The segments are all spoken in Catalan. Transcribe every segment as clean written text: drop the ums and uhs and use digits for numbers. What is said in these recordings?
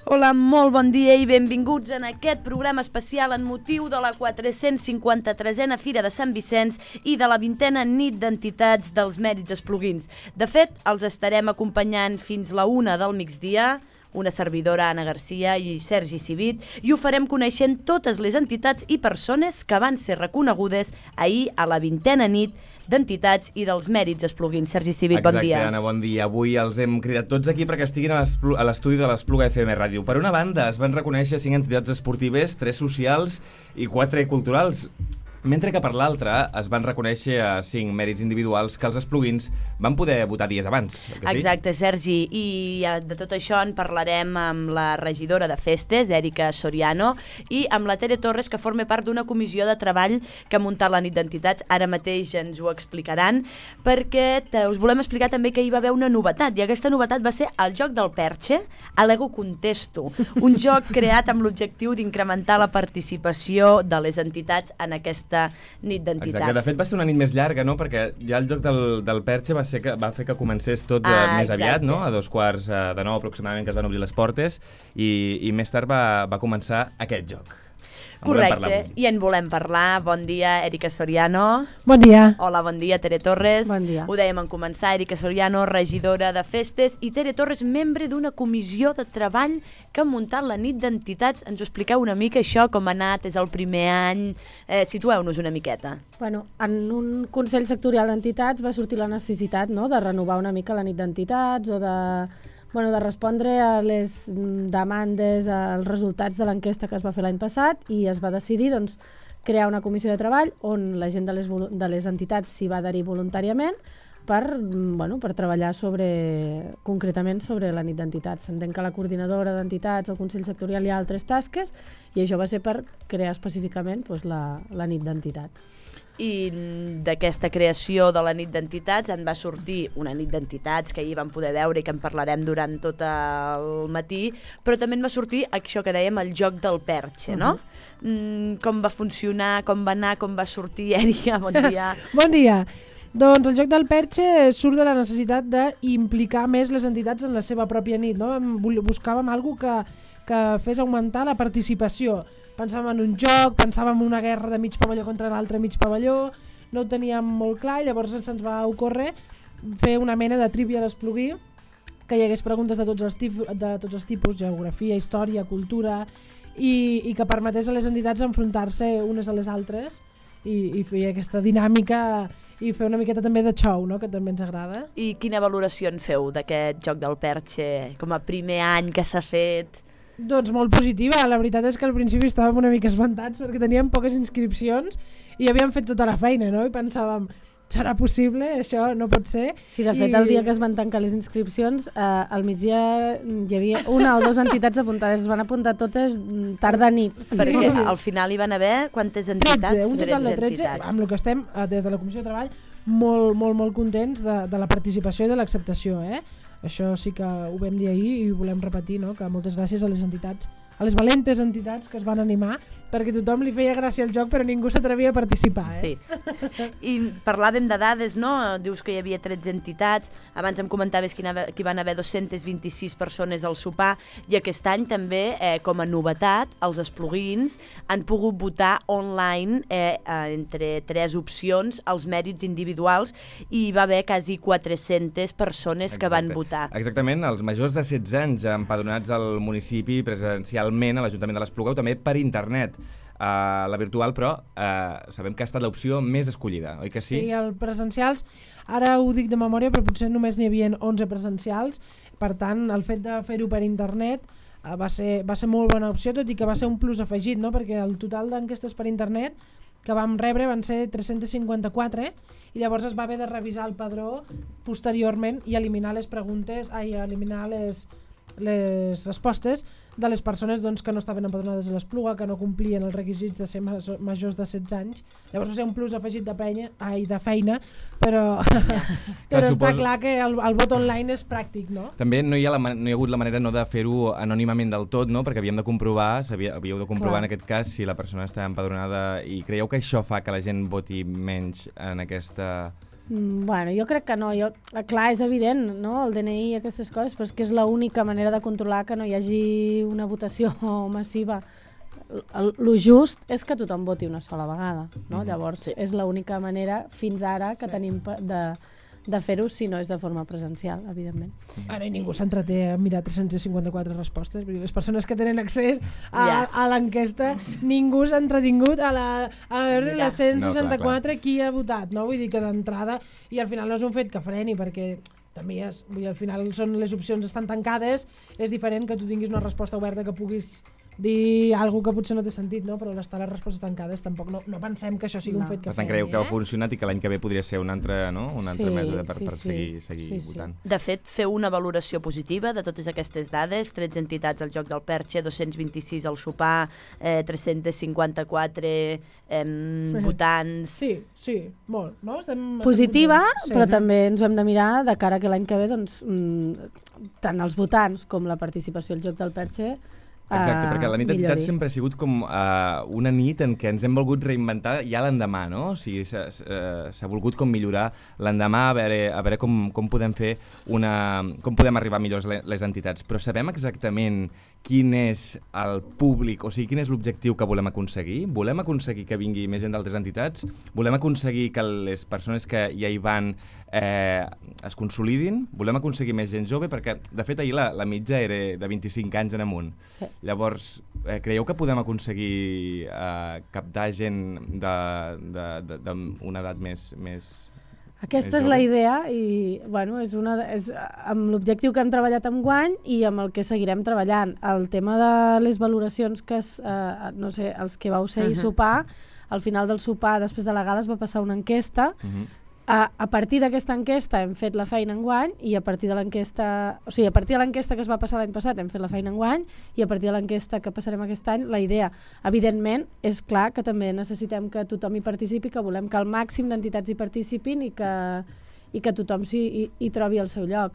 Hola, molt bon dia i benvinguts en aquest programa especial en motiu de la 453a Fira de Sant Vicenç i de la 20a Nit d'Entitats dels Mèrits Espluguins. De fet, els estarem acompanyant fins la 1 del migdia, una servidora, Anna Garcia i Sergi Civit, i ho farem coneixent totes les entitats i persones que van ser reconegudes ahir a la 20a Nit d'Entitats i dels Mèrits Espluguins. Sergi Civit, bon dia. Exacte, Anna, bon dia. Avui els hem cridat tots aquí perquè estiguin a l'estudi de l'Espluga FM Ràdio. Per una banda, es van reconèixer 5 entitats esportives, 3 socials i 4 culturals, mentre que per l'altra es van reconèixer 5 mèrits individuals que els espluguins van poder votar dies abans. Exacte, Sergi, i de tot això en parlarem amb la regidora de Festes, Èrica Soriano, i amb la Tere Torres, que forma part d'una comissió de treball que ha muntat la nit d'entitats. Ara mateix ens ho explicaran, perquè us volem explicar també que hi va haver una novetat, i aquesta novetat va ser el joc del Perche, Alego Contesto, un joc creat amb l'objectiu d'incrementar la participació de les entitats en aquesta nit d'entitats. Exacte, de fet va ser una nit més llarga, no? Perquè ja el joc del Perche va fer que comencés tot més aviat, no? A 8:45 aproximadament, que es van obrir les portes, i més tard va començar aquest joc. Correcte, i en volem parlar. Bon dia, Èrica Soriano. Bon dia. Hola, bon dia, Tere Torres. Bon dia. Ho dèiem en començar, Èrica Soriano, regidora de Festes, i Tere Torres, membre d'una comissió de treball que ha muntat la nit d'entitats. Ens ho expliqueu una mica, això, com ha anat, és el primer any? Situeu-nos una miqueta. Bueno, en un Consell Sectorial d'Entitats va sortir la necessitat, no?, de renovar una mica la nit d'entitats o de respondre a les demandes, als resultats de l'enquesta que es va fer l'any passat, i es va decidir crear una comissió de treball on la gent de les entitats s'hi va adherir voluntàriament per treballar concretament sobre la nit d'entitats. S'entén que la coordinadora d'entitats, el Consell Sectorial, hi ha altres tasques, i això va ser per crear específicament la nit d'entitats. I d'aquesta creació de la nit d'entitats en va sortir una nit d'entitats que ahir vam poder veure i que en parlarem durant tot el matí, però també en va sortir això que dèiem, el joc del Perche, no? Com va funcionar, com va anar, com va sortir? Èrica, bon dia. Bon dia. Doncs el joc del Perche surt de la necessitat d'implicar més les entitats en la seva pròpia nit, no? Buscàvem alguna que fes augmentar la participació. Pensàvem en un joc, pensàvem en una guerra de mig pavelló contra l'altre mig pavelló, no ho teníem molt clar, i llavors se'ns va ocórrer fer una mena de trivia d'Esplugui, que hi hagués preguntes de tots els tipus, geografia, història, cultura, i que permetés a les entitats enfrontar-se unes a les altres i fer aquesta dinàmica i fer una miqueta també de show, no?, que també ens agrada. I quina valoració en feu d'aquest joc del Perche com a primer any que s'ha fet? Doncs molt positiva. La veritat és que al principi estàvem una mica espantats perquè teníem poques inscripcions i havíem fet tota la feina, no? I pensàvem, serà possible? Això no pot ser. Sí, de fet, el dia que es van tancar les inscripcions, al migdia hi havia 1 o 2 entitats apuntades. Es van apuntar totes tarda nit. Perquè al final hi van haver quantes entitats? 13, un total de 13, amb el que estem des de la Comissió de Treball molt contents de la participació i de l'acceptació, Això sí que ho vam dir ahir i ho volem repetir, no? Que moltes gràcies a les entitats, a les valentes entitats que es van animar, perquè tothom li feia gràcia al joc però ningú s'atrevia a participar. Sí. I parlàvem de dades, no? Dius que hi havia 13 entitats, abans em comentaves que hi van haver 226 persones al sopar, i aquest any també, com a novetat, els espluguins han pogut votar online entre 3 opcions els mèrits individuals, i hi va haver quasi 400 persones que van votar. Exactament, els majors de 16 anys empadronats al municipi presencialment a l'Ajuntament de l'Espluga, o també per internet. La virtual, però, sabem que ha estat l'opció més escollida, oi que sí? Sí, els presencials, ara ho dic de memòria, però potser només n'hi havia 11 presencials, per tant, el fet de fer-ho per internet va ser molt bona opció, tot i que va ser un plus afegit, no? Perquè el total d'enquestes per internet que vam rebre van ser 354, i llavors es va haver de revisar el padró posteriorment i eliminar eliminar les respostes de les persones que no estaven empadronades a l'Espluga, que no complien els requisits de ser majors de 16 anys. Llavors va ser un plus afegit de feina, però està clar que el vot online és pràctic, no? També no hi ha hagut la manera de fer-ho anònimament del tot, no? Perquè havíeu de comprovar en aquest cas si la persona està empadronada, i creieu que això fa que la gent voti menys en aquesta Bueno, jo crec que no. Clar, és evident, no?, el DNI i aquestes coses, però és que és l'única manera de controlar que no hi hagi una votació massiva. Lo just és que tothom voti una sola vegada, no? Llavors, és l'única manera fins ara que tenim de fer-ho, si no és de forma presencial, evidentment. Ara ningú s'entreté a mirar 354 respostes. Vull dir, les persones que tenen accés a l'enquesta, ningú s'ha entretingut a veure les 164 qui ha votat, no? Vull dir que d'entrada, i al final no és un fet que freni, perquè també al final són les opcions estan tancades, és diferent que tu tinguis una resposta oberta que puguis dir alguna que potser no té sentit, no? Però l'estar les respostes tancades tampoc no pensem que això sigui un fet que per tant, creieu que ha funcionat i que l'any que ve podria ser un altre mètode per seguir votant. De fet, feu una valoració positiva de totes aquestes dades, 13 entitats al Joc del Perxe, 226 al sopar, 354 votants... Sí, molt, no? Positiva, però també ens ho hem de mirar de cara que l'any que ve, doncs, tant els votants com la participació al Joc del Perxe Exacte, perquè la nit d'entitats sempre ha sigut com una nit en què ens hem volgut reinventar ja l'endemà, no? O sigui, s'ha volgut com millorar l'endemà, a veure com podem fer com podem arribar millor les entitats. Però sabem exactament quin és el públic, o sigui, quin és l'objectiu que volem aconseguir? Volem aconseguir que vingui més gent d'altres entitats? Volem aconseguir que les persones que ja hi van es consolidin? Volem aconseguir més gent jove? Perquè, de fet, ahir la mitja era de 25 anys en amunt. Sí. Llavors, creieu que podem aconseguir captar gent d'una edat més Aquesta és la idea i bueno, és amb l'objectiu que hem treballat enguany i amb el que seguirem treballant. El tema de les valoracions que no sé, els que vau ser i sopar, al final del sopar, després de la gala, es va passar una enquesta. A partir d'aquesta enquesta hem fet la feina enguany i a partir de l'enquesta, o sigui, a partir de l'enquesta que es va passar l'any passat hem fet la feina enguany i a partir de l'enquesta que passarem aquest any, la idea, evidentment, és clar que també necessitem que tothom hi participi, que volem que el màxim d'entitats hi participin i que tothom hi trobi el seu lloc.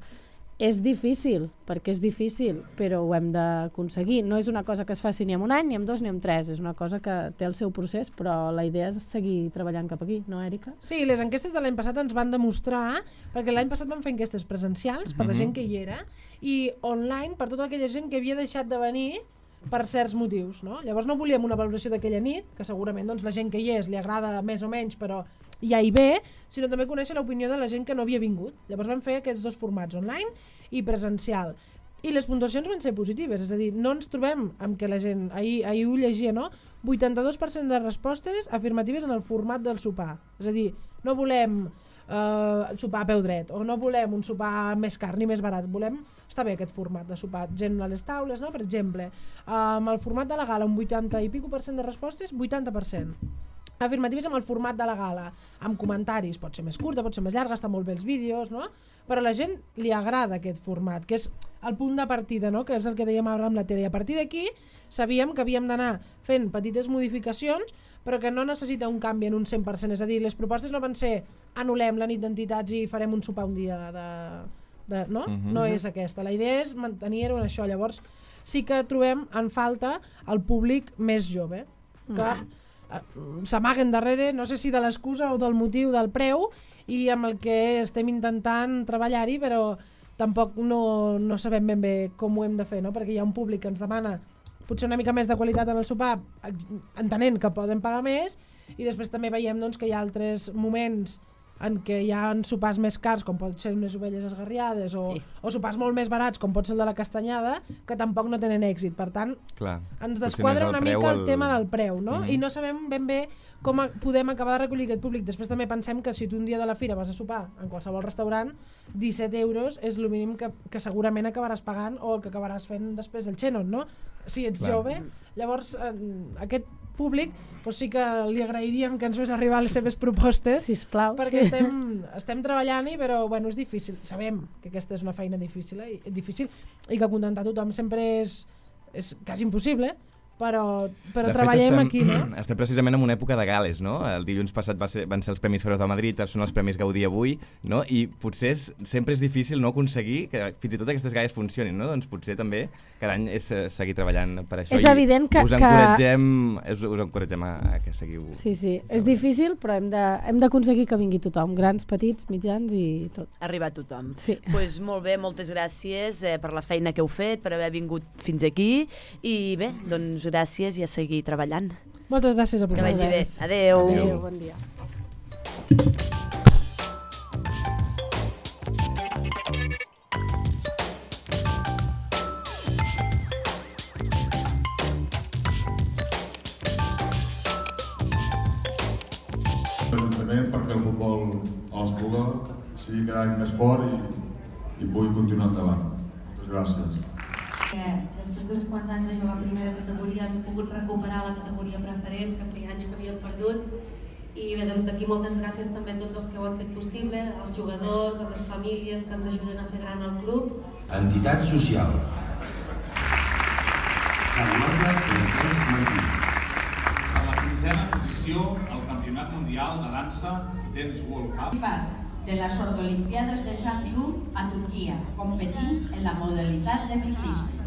És difícil, perquè és difícil, però ho hem d'aconseguir. No és una cosa que es faci ni en un any, ni en 2, ni en 3. És una cosa que té el seu procés, però la idea és seguir treballant cap aquí, no, Èrica? Sí, les enquestes de l'any passat ens van demostrar, perquè l'any passat vam fer enquestes presencials per la gent que hi era, i online per tota aquella gent que havia deixat de venir per certs motius, no? Llavors no volíem una valoració d'aquella nit, que segurament doncs, la gent que hi és li agrada més o menys, però ja hi ve, sinó també conèixer l'opinió de la gent que no havia vingut. Llavors vam fer aquests dos formats, online i presencial. I les puntuacions van ser positives, és a dir, no ens trobem amb que la gent, ahir ho llegia, no? 82% de respostes afirmatives en el format del sopar. És a dir, no volem sopar a peu dret, o no volem un sopar més car ni més barat, volem està bé aquest format de sopar, gent a les taules, no? Per exemple, amb el format de la gala un 80 i pico% de respostes, 80%. Afirmatives amb el format de la gala, amb comentaris, pot ser més curta, pot ser més llarga, està molt bé els vídeos, no? Però a la gent li agrada aquest format, que és el punt de partida, no? Que és el que dèiem ara amb la Tere. I a partir d'aquí sabíem que havíem d'anar fent petites modificacions, però que no necessita un canvi en un 100%. És a dir, les propostes no van ser anul·lem la nit d'entitats i farem un sopar un dia no? No és aquesta. La idea és mantenir-ho en això. Llavors sí que trobem en falta el públic més jove, que s'amaguen darrere, no sé si de l'excusa o del motiu del preu, i amb el que estem intentant treballar-hi, però tampoc no sabem ben bé com ho hem de fer, no? Perquè hi ha un públic que ens demana potser una mica més de qualitat en el sopar, entenent que poden pagar més, i després també veiem doncs, que hi ha altres moments en què hi ha sopars més cars, com pot ser unes ovelles esgarriades, o sopars molt més barats, com pot ser el de la castanyada, que tampoc no tenen èxit. Per tant, ens desquadra una mica el tema del preu, no? I no sabem ben bé com podem acabar de recollir aquest públic. Després també pensem que si tu un dia de la fira vas a sopar en qualsevol restaurant, 17 euros és el mínim que segurament acabaràs pagant, o el que acabaràs fent després el xenon, no? Si ets jove. Llavors, aquest públic doncs sí que li agrairíem que ens fes arribar les seves propostes, sisplau, perquè estem treballant-hi, però bueno, és difícil. Sabem que aquesta és una feina difícil i que acontentar tothom sempre és quasi impossible, però De fet, treballem aquí, no? Estem precisament en una època de gales, no? El dilluns passat van ser els Premis Feroz de Madrid, són els Premis Gaudí avui, no? I potser sempre és difícil no aconseguir que fins i tot aquestes gales funcionin, no? Doncs potser també cada any és seguir treballant per això. És evident que... Us encoratgem a que seguiu... Sí, és difícil, però hem d'aconseguir que vingui tothom, grans, petits, mitjans i tot. Arribar a tothom. Sí. Pues molt bé, moltes gràcies per la feina que heu fet, per haver vingut fins aquí i bé, doncs gràcies i a seguir treballant. Moltes gràcies a Que vagi bé. vosaltres. Adéu. Adéu, bon dia. L'Ajuntament perquè el futbol a l'Espluga sigui cada any més fort i pugui continuar endavant. Moltes gràcies. Després d'uns quants anys de jugar a primera categoria hem pogut recuperar la categoria preferent que feia anys que havíem perdut i bé, doncs d'aquí moltes gràcies també a tots els que ho han fet possible, als jugadors, a les famílies que ens ajuden a fer gran el club. Entitat social. Carlota Cortés Martí. A la 15a posició al Campionat Mundial de Dansa Dance World Cup. De las Ordolimpiadas de Samsung a Turquía, competint en la modalitat de ciclisme.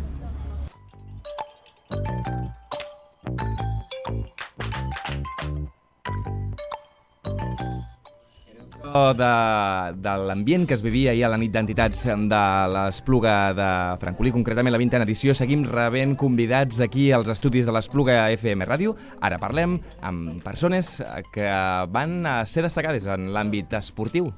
De l'ambient que es vivia ahir a la nit d'entitats de l'Espluga de Francolí, concretament la 20a edició, seguim rebent convidats aquí als estudis de l'Espluga FM Ràdio. Ara parlem amb persones que van ser destacades en l'àmbit esportiu.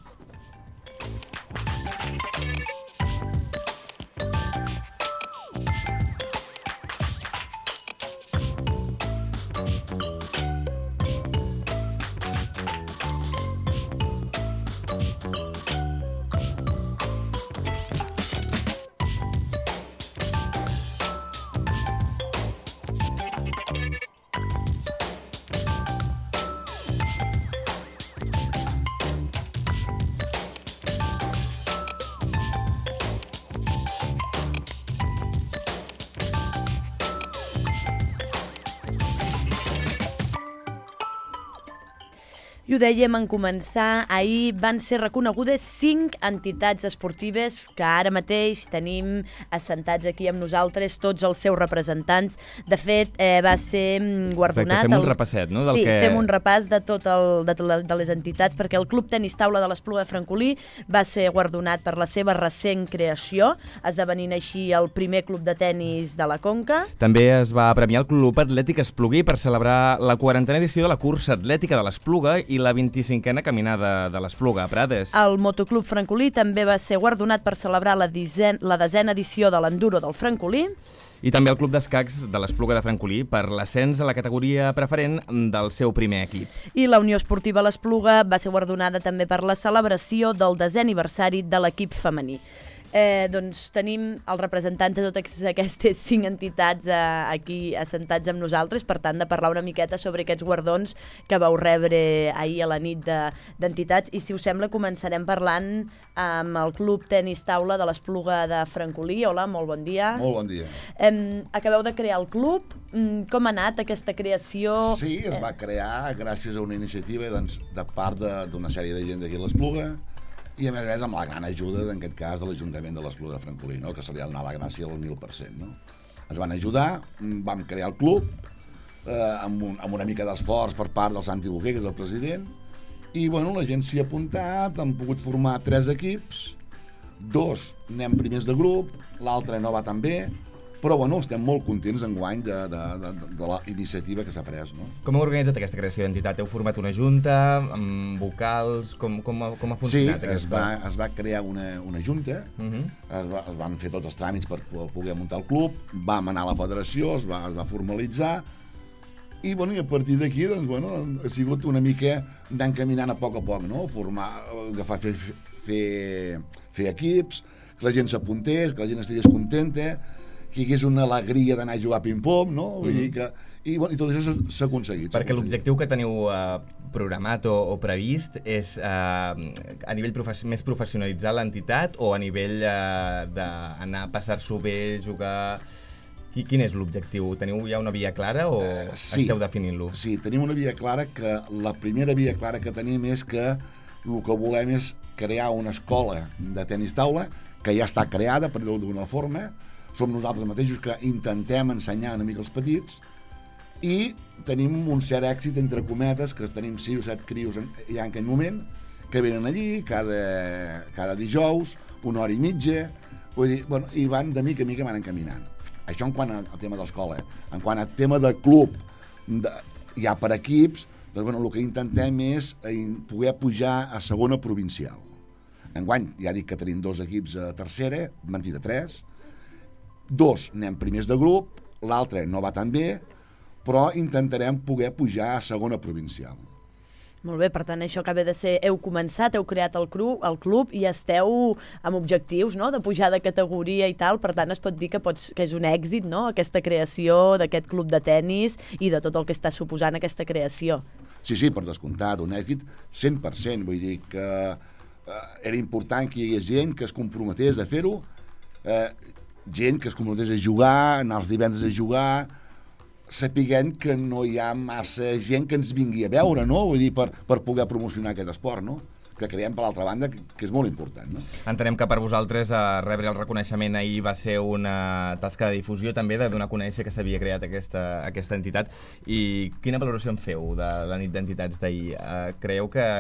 I ho dèiem en començar, ahir van ser reconegudes 5 entitats esportives que ara mateix tenim assentats aquí amb nosaltres, tots els seus representants. De fet, va ser guardonat... Exacte, fem un repasset, no? Sí, fem un repàs de de les entitats, perquè el Club Tenis Taula de l'Espluga de Francolí va ser guardonat per la seva recent creació, esdevenint així el primer club de tenis de la Conca. També es va premiar el Club Atlètic Esplugui per celebrar la 40a edició de la cursa atlètica de l'Espluga i la 25a caminada de l'Espluga a Prades. El Motoclub Francolí també va ser guardonat per celebrar la 10a edició de l'Enduro del Francolí. I també el Club d'Escacs de l'Espluga de Francolí per l'ascens a la categoria preferent del seu primer equip. I la Unió Esportiva l'Espluga va ser guardonada també per la celebració del 10è aniversari de l'equip femení. Doncs tenim els representants de totes aquestes 5 entitats aquí assentats amb nosaltres, per tant de parlar una miqueta sobre aquests guardons que vau rebre ahir a la nit d'entitats. I si us sembla començarem parlant amb el Club Tenis Taula de l'Espluga de Francolí. Hola, molt bon dia. Molt bon dia. Acabeu de crear el club. Com ha anat aquesta creació? Sí, es va crear gràcies a una iniciativa de part d'una sèrie de gent d'aquí a l'Espluga, i a més amb la gran ajuda, en aquest cas, de l'Ajuntament de l'Espluga de Francolí, no? Que se li ha donat la gràcia al 1000%. No? Es van ajudar, vam crear el club, amb una mica d'esforç per part del Santi Boquer, que és el president, i bueno, la gent s'hi ha apuntat, han pogut formar 3 equips, 2 anem primers de grup, l'altre no va tan bé, però bueno, estem molt contents enguany de la iniciativa que s'ha pres. No? Com heu organitzat aquesta creació d'entitat? Heu format una junta, amb vocals? Com ha funcionat? Sí, es va crear una junta, es van fer tots els tràmits per poder muntar el club, vam anar a la federació, es va formalitzar, i, bueno, i a partir d'aquí doncs, bueno, ha sigut una mica d'encaminant a poc, no? Agafar, fer equips, que la gent s'apuntés, que la gent estigués contenta, que hi hagués una alegria d'anar a jugar a ping-pong, no? Vull dir que, i tot això s'ha aconseguit. Perquè l'objectiu que teniu programat o previst és a nivell més professionalitzar l'entitat o a nivell d'anar a passar-s'ho bé, jugar... Quin és l'objectiu? Teniu ja una via clara o esteu definint-lo? Sí, tenim una via clara que la primera via clara que tenim és que el que volem és crear una escola de tenis taula que ja està creada, per dir-ho d'una forma. Som nosaltres mateixos que intentem ensenyar una mica els petits i tenim un cert èxit, entre cometes, que tenim 6 o 7 crios ja en aquell moment, que venen allí cada dijous, 1 hora i mitja, vull dir, bueno, i van de mica en mica van encaminant. Això en quant al tema d'escola. En quant al tema de club, ja per equips, doncs, bueno, el que intentem és poder pujar a segona provincial. Enguany, ja dic que tenim 2 equips a tercera, mentida, 3, 2 anem primers de grup, l'altre no va tan bé, però intentarem poder pujar a segona provincial. Molt bé, per tant, això acaba de ser... Heu començat, heu creat el club i esteu amb objectius, no?, de pujar de categoria i tal, per tant, es pot dir que és un èxit, no?, aquesta creació d'aquest club de tennis i de tot el que està suposant aquesta creació. Sí, per descomptat, un èxit 100%, vull dir que era important que hi hagués gent que es comprometés a fer-ho, gent que es comprometés a jugar, anar els divendres a jugar, sapiguent que no hi ha massa gent que ens vingui a veure, no? Vull dir, per poder promocionar aquest esport, no? Que creiem, per l'altra banda, que és molt important, no? Entenem que per vosaltres rebre el reconeixement ahir va ser una tasca de difusió també, de donar a conèixer que s'havia creat aquesta entitat. I quina valoració en feu de la nit d'entitats d'ahir? Creieu que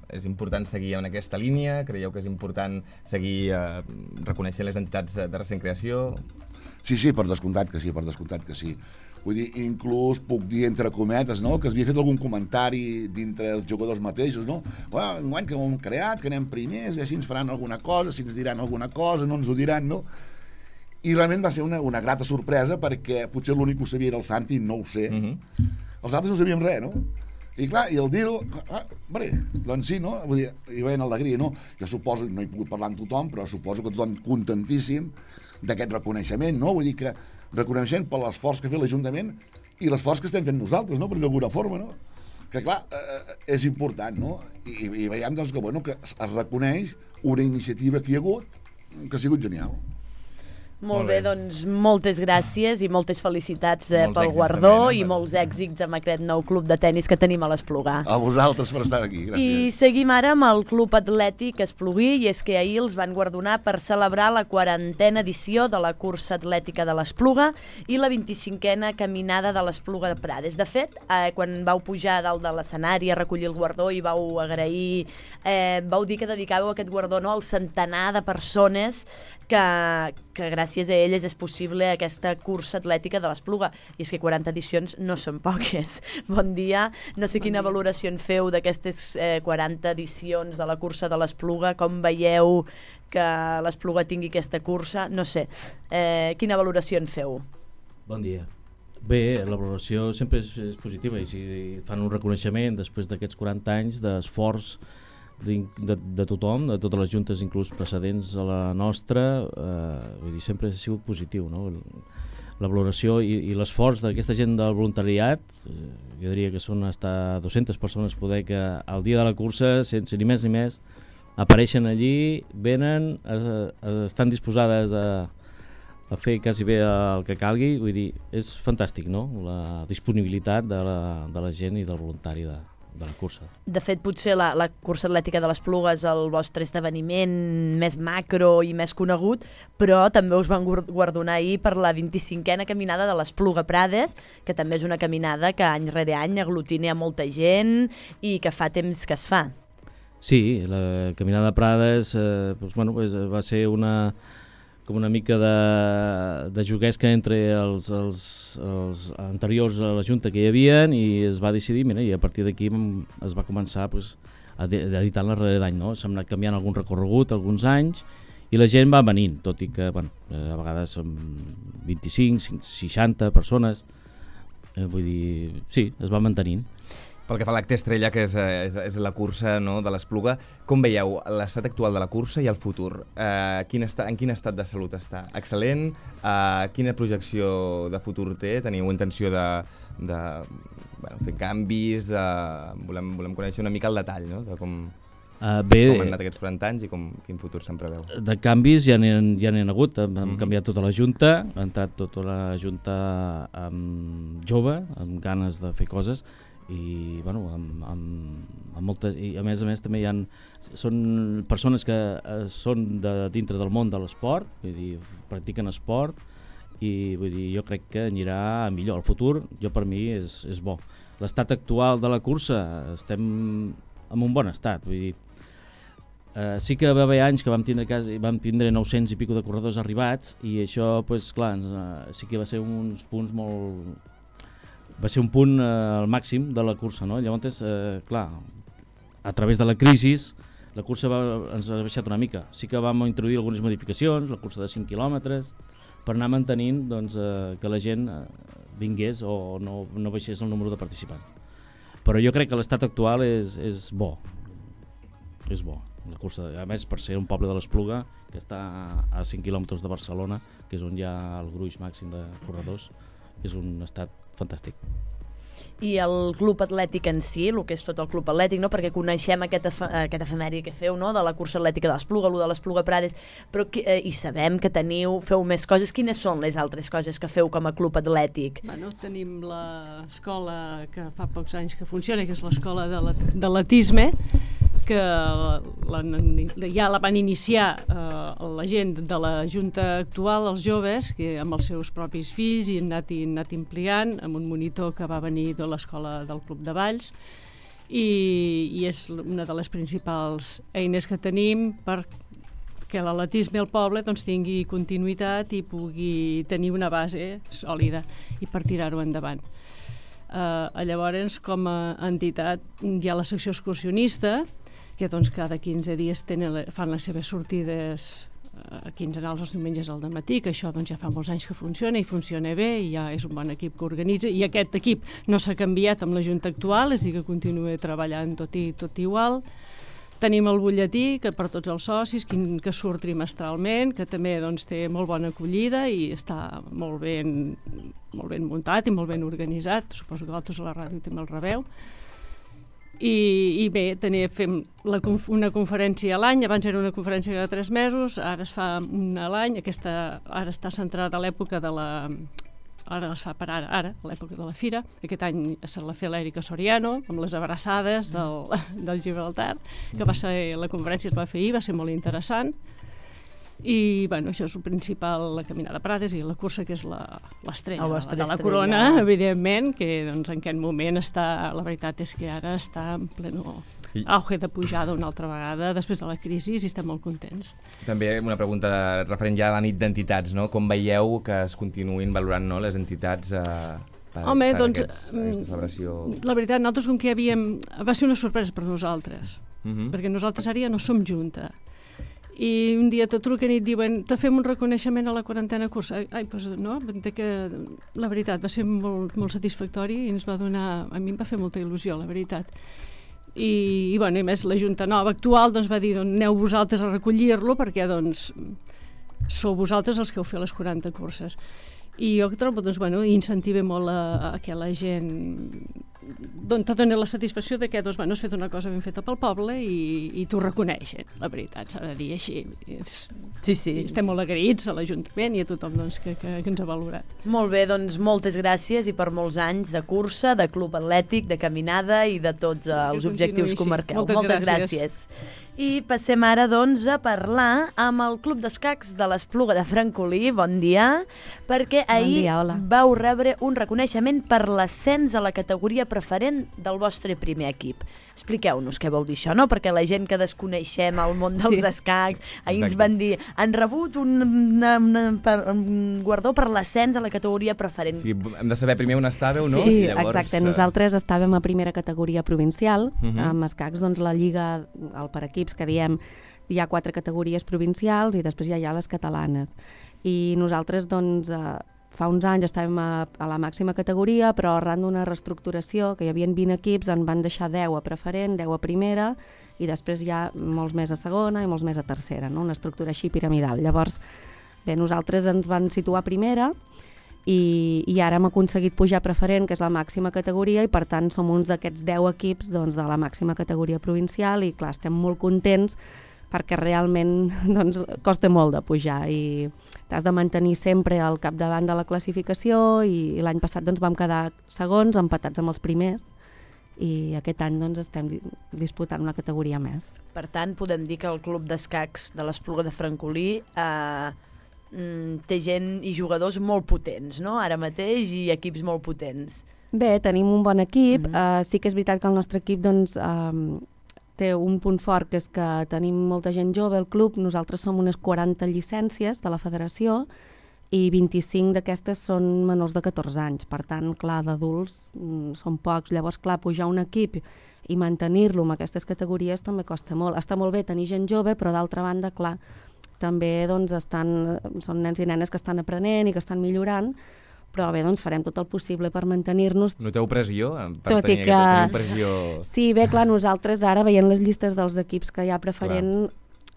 és important seguir en aquesta línia? Creieu que és important seguir reconeixent les entitats de recent creació? Sí, per descomptat que sí, Vull dir, inclús puc dir entre cometes, no?, que s'havia fet algun comentari dintre els jugadors mateixos, no? Enguany que ho hem creat, que anem primers, i així ens faran alguna cosa, si ens diran alguna cosa, no ens ho diran, no? I realment va ser una grata sorpresa, perquè potser l'únic que ho sabia era el Santi, no ho sé. Els altres no sabíem res, no? I clar, i el dir-ho, doncs sí, no? Vull dir, hi veien alegria, no? Jo suposo, no he pogut parlar amb tothom, però suposo que tothom contentíssim d'aquest reconeixement, no? Vull dir que reconeixement per l'esforç que ha fet l'Ajuntament i l'esforç que estem fent nosaltres, no?, per d'alguna forma, no? Que clar, és important, no? I veiem, doncs, que es reconeix una iniciativa que hi ha hagut, que ha sigut genial. Molt bé, doncs moltes gràcies i moltes felicitats pel guardó i molts èxits amb aquest nou club de tennis que tenim a l'Esplugar. A vosaltres per estar aquí, gràcies. I seguim ara amb el Club Atlètic Esplugí, i és que ahir els van guardonar per celebrar la 40a edició de la cursa atlètica de l'Espluga i la 25a caminada de l'Espluga de Prades. De fet, quan vau pujar a dalt de l'escenari a recollir el guardó i vau agrair, vau dir que dedicàveu aquest guardó al centenar de persones que gràcies a elles és possible aquesta cursa atlètica de l'Espluga. I és que 40 edicions no són poques. Bon dia. No sé quina valoració en feu d'aquestes 40 edicions de la cursa de l'Espluga. Com veieu que l'Espluga tingui aquesta cursa? No sé. Quina valoració en feu? Bon dia. Bé, la valoració sempre és positiva i si fan un reconeixement després d'aquests 40 anys d'esforç de tothom, de totes les juntes inclús precedents a la nostra, vull dir, sempre ha sigut positiu, no? La valoració i l'esforç d'aquesta gent del voluntariat, jo diria que són fins a 200 persones poder que al dia de la cursa, sense ni més, apareixen allí, venen, estan disposades a fer quasi bé el que calgui, vull dir, és fantàstic, no?, la disponibilitat de la gent i del voluntari de la cursa. De fet, potser la cursa atlètica de l'Espluga és el vostre esdeveniment més macro i més conegut, però també us van guardonar ahir per la 25a caminada de l'Espluga Prades, que també és una caminada que any rere any aglutina a molta gent i que fa temps que es fa. Sí, la caminada de Prades va ser com una mica de juguesca entre els anteriors a la Junta que hi havia i es va decidir, i a partir d'aquí es va començar a editar-la darrere d'any, no? S'ha anat canviant algun recorregut alguns anys i la gent va venint, tot i que a vegades són 25, 60 persones, vull dir, sí, es va mantenint. Pel que fa a l'acte estrella, que és la cursa, no, de l'Espluga, com veieu l'estat actual de la cursa i el futur? En quin estat de salut està? Excel·lent? Quina projecció de futur té? Teniu intenció de fer canvis? Volem conèixer una mica el detall, no? De com... Com han anat aquests 40 anys i quin futur se'n preveu? De canvis ja n'hi ha hagut, hem canviat tota la Junta, ha entrat tota la Junta jove, amb ganes de fer coses, i bueno, amb moltes, i a més també són persones que són de dintre del món de l'esport, vull dir, practiquen esport, i vull dir, jo crec que anirà millor. El futur, per mi, és bo. L'estat actual de la cursa, estem en un bon estat, vull dir, sí que va haver anys que vam tindre 900 i pico de corredors arribats, i això, pues, clar, sí que va ser uns punts molt... Va ser un punt al màxim de la cursa, no? Llavors, clar, a través de la crisi, la cursa ens ha baixat una mica. Sí que vam introduir algunes modificacions, la cursa de 5 quilòmetres, per anar mantenint doncs, que la gent vingués o no baixés el número de participants. Però jo crec que l'estat actual és bo. És bo. La cursa, a més, per ser un poble de l'Espluga, que està a 5 quilòmetres de Barcelona, que és on hi ha el gruix màxim de corredors, és un estat fantàstic. I el club atlètic en si, el que és tot el club atlètic, no? Perquè coneixem aquest efemèric que feu, no? De la cursa atlètica de l'Espluga, de l'Espluga Prades, però i sabem que feu més coses. Quines són les altres coses que feu com a club atlètic? Bueno, tenim l'escola que fa pocs anys que funciona, que és l'escola d'atletisme, que ja la van iniciar la gent de la Junta actual, els joves, que amb els seus propis fills, i han anat ampliant amb un monitor que va venir de l'escola del Club de Valls, i és una de les principals eines que tenim perquè l'atletisme al poble doncs, tingui continuïtat i pugui tenir una base sòlida i per tirar-ho endavant. Llavors, com a entitat, hi ha la secció excursionista, que doncs, cada 15 dies fan les seves sortides quinzenals els diumenges al dematí, que això doncs, ja fa molts anys que funciona i funciona bé, i ja és un bon equip que organitza, i aquest equip no s'ha canviat amb la Junta actual, és a dir, que continua treballant tot igual. Tenim el butlletí, que per tots els socis, que surt trimestralment, que també doncs, té molt bona acollida i està molt ben muntat i molt ben organitzat. Suposo que vosaltres a la ràdio també el rebeu. I bé, fem una conferència a l'any. Abans era una conferència cada 3 mesos, ara es fa una a l'any. Ara està centrada a l'època de la... Ara es fa per ara, a l'època de la fira. Aquest any se la fa l'Èrica Soriano, amb les abraçades del Gibraltar, que va ser, la conferència es va fer ahir, va ser molt interessant. I bueno, això és el principal, la caminada a Prades, i la cursa, que és l'estrella de la corona, evidentment, que doncs, en aquest moment la veritat és que ara està en pleno auge de pujada una altra vegada després de la crisi, i estem molt contents. També una pregunta referent ja a la nit d'entitats, no? Com veieu que es continuïn valorant, no, les entitats per aquesta celebració? La veritat, nosaltres com que va ser una sorpresa per nosaltres, perquè nosaltres ara ja no som junta. I un dia tot truquen i et diuen te fem un reconeixement a la 40a cursa. Doncs no, que la veritat va ser molt, molt satisfactori, i ens va donar, a mi em va fer molta il·lusió, la veritat. I bueno, a més la Junta nova actual doncs, va dir aneu vosaltres a recollir-lo, perquè doncs sou vosaltres els que heu fet les 40 curses. I jo trobo, doncs, bueno, incentiva molt a que la gent te doni la satisfacció de que doncs, bueno, has fet una cosa ben feta pel poble i t'ho reconeixen, la veritat, s'ha de dir així. Sí. Estem molt agraïts a l'Ajuntament i a tothom doncs, que ens ha valorat. Molt bé, doncs moltes gràcies i per molts anys de cursa, de club atlètic, de caminada i de tots els objectius que marqueu. Moltes gràcies. I passem ara doncs a parlar amb el Club d'Escacs de l'Espluga de Francolí. Bon dia, perquè ahir vau rebre un reconeixement per l'ascens a la categoria preferent del vostre primer equip. Expliqueu-nos què vol dir això, no? Perquè la gent que desconeixem el món dels escacs, ahir ens van dir, han rebut un guardó per l'ascens a la categoria preferent. Sí, hem de saber primer on estàveu, no? Sí, exacte. Nosaltres estàvem a primera categoria provincial, amb escacs, doncs la lliga, el per equips que diem, hi ha 4 categories provincials i després ja hi ha les catalanes. I nosaltres, doncs, fa uns anys estàvem a la màxima categoria, però arran d'una reestructuració, que hi havia 20 equips, en van deixar 10 a preferent, 10 a primera, i després hi ha molts més a segona i molts més a tercera, no? Una estructura així piramidal. Llavors, bé, nosaltres ens van situar a primera, i ara hem aconseguit pujar a preferent, que és la màxima categoria, i per tant som uns d'aquests 10 equips doncs, de la màxima categoria provincial, i clar, estem molt contents perquè realment doncs, costa molt de pujar i t'has de mantenir sempre al capdavant de la classificació, i l'any passat doncs, vam quedar segons, empatats amb els primers, i aquest any doncs, estem disputant una categoria més. Per tant, podem dir que el Club d'Escacs de l'Espluga de Francolí té gent i jugadors molt potents, no? Ara mateix, i equips molt potents. Bé, tenim un bon equip. Sí que és veritat que el nostre equip doncs, té un punt fort, que és que tenim molta gent jove al club. Nosaltres som unes 40 llicències de la federació i 25 d'aquestes són menors de 14 anys. Per tant, clar, d'adults són pocs. Llavors, clar, pujar un equip i mantenir-lo en aquestes categories també costa molt. Està molt bé tenir gent jove, però d'altra banda, clar, també doncs, són nens i nenes que estan aprenent i que estan millorant, però bé, doncs farem tot el possible per mantenir-nos. Noteu pressió? Tot i que... Sí, bé, clar, nosaltres ara, veient les llistes dels equips que hi ha preferent,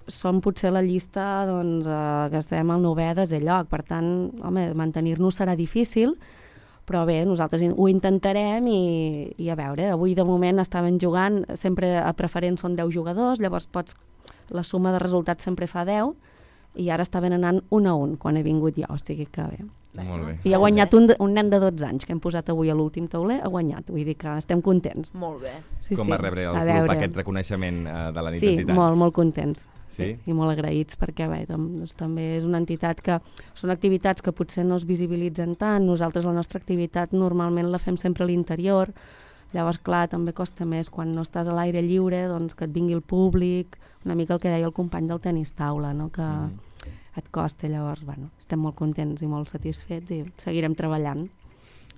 som potser la llista doncs, que estem al 9è desè lloc. Per tant, home, mantenir-nos serà difícil, però bé, nosaltres ho intentarem i a veure, avui de moment estaven jugant, sempre a preferent són 10 jugadors, llavors la suma de resultats sempre fa 10, i ara estaven anant 1-1 quan he vingut jo, o sigui que bé. Molt bé. I ha guanyat un nen de 12 anys que hem posat avui a l'últim tauler, ha guanyat, vull dir que estem contents. Molt bé. Sí, com va rebre el club aquest reconeixement de la nit d'entitats? Sí, molt contents. Sí? I molt agraïts perquè bé, doncs, també és una entitat que són activitats que potser no es visibilitzen tant. Nosaltres la nostra activitat normalment la fem sempre a l'interior, llavors clar, també costa més quan no estàs a l'aire lliure, doncs que et vingui el públic, una mica el que deia el company del tenis taula, no? Que et costa, llavors bueno, estem molt contents i molt satisfets i seguirem treballant.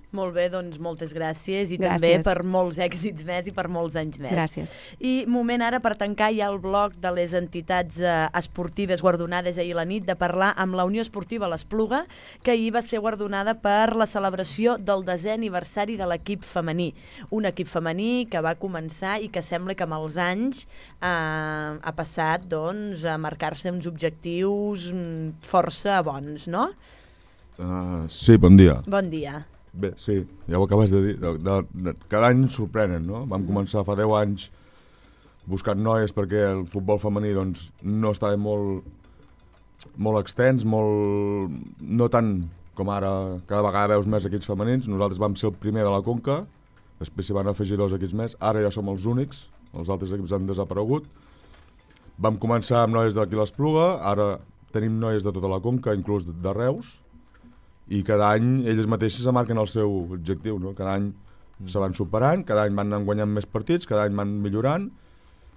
Molt bé, doncs moltes gràcies i també per molts èxits més i per molts anys més. Gràcies. I moment ara per tancar ja el bloc de les entitats esportives guardonades ahir a la nit, de parlar amb la Unió Esportiva l'Espluga, que ahir va ser guardonada per la celebració del 10è aniversari de l'equip femení. Un equip femení que va començar i que sembla que amb els anys ha passat doncs, a marcar-se uns objectius força bons, no? Sí, bon dia. Bon dia. Bé, sí, ja ho acabes de dir. Cada any sorprenen, no? Vam començar fa 10 anys buscant noies perquè el futbol femení doncs, no estava molt extens, no tant com ara, cada vegada veus més equips femenins. Nosaltres vam ser el primer de la Conca, després s'hi van afegir 2 equips més, ara ja som els únics, els altres equips han desaparegut. Vam començar amb noies d'aquí l'Espluga, ara tenim noies de tota la Conca, inclús de Reus, i cada any elles mateixes se marquen el seu objectiu, no? Cada any se van superant, cada any van guanyant més partits, cada any van millorant,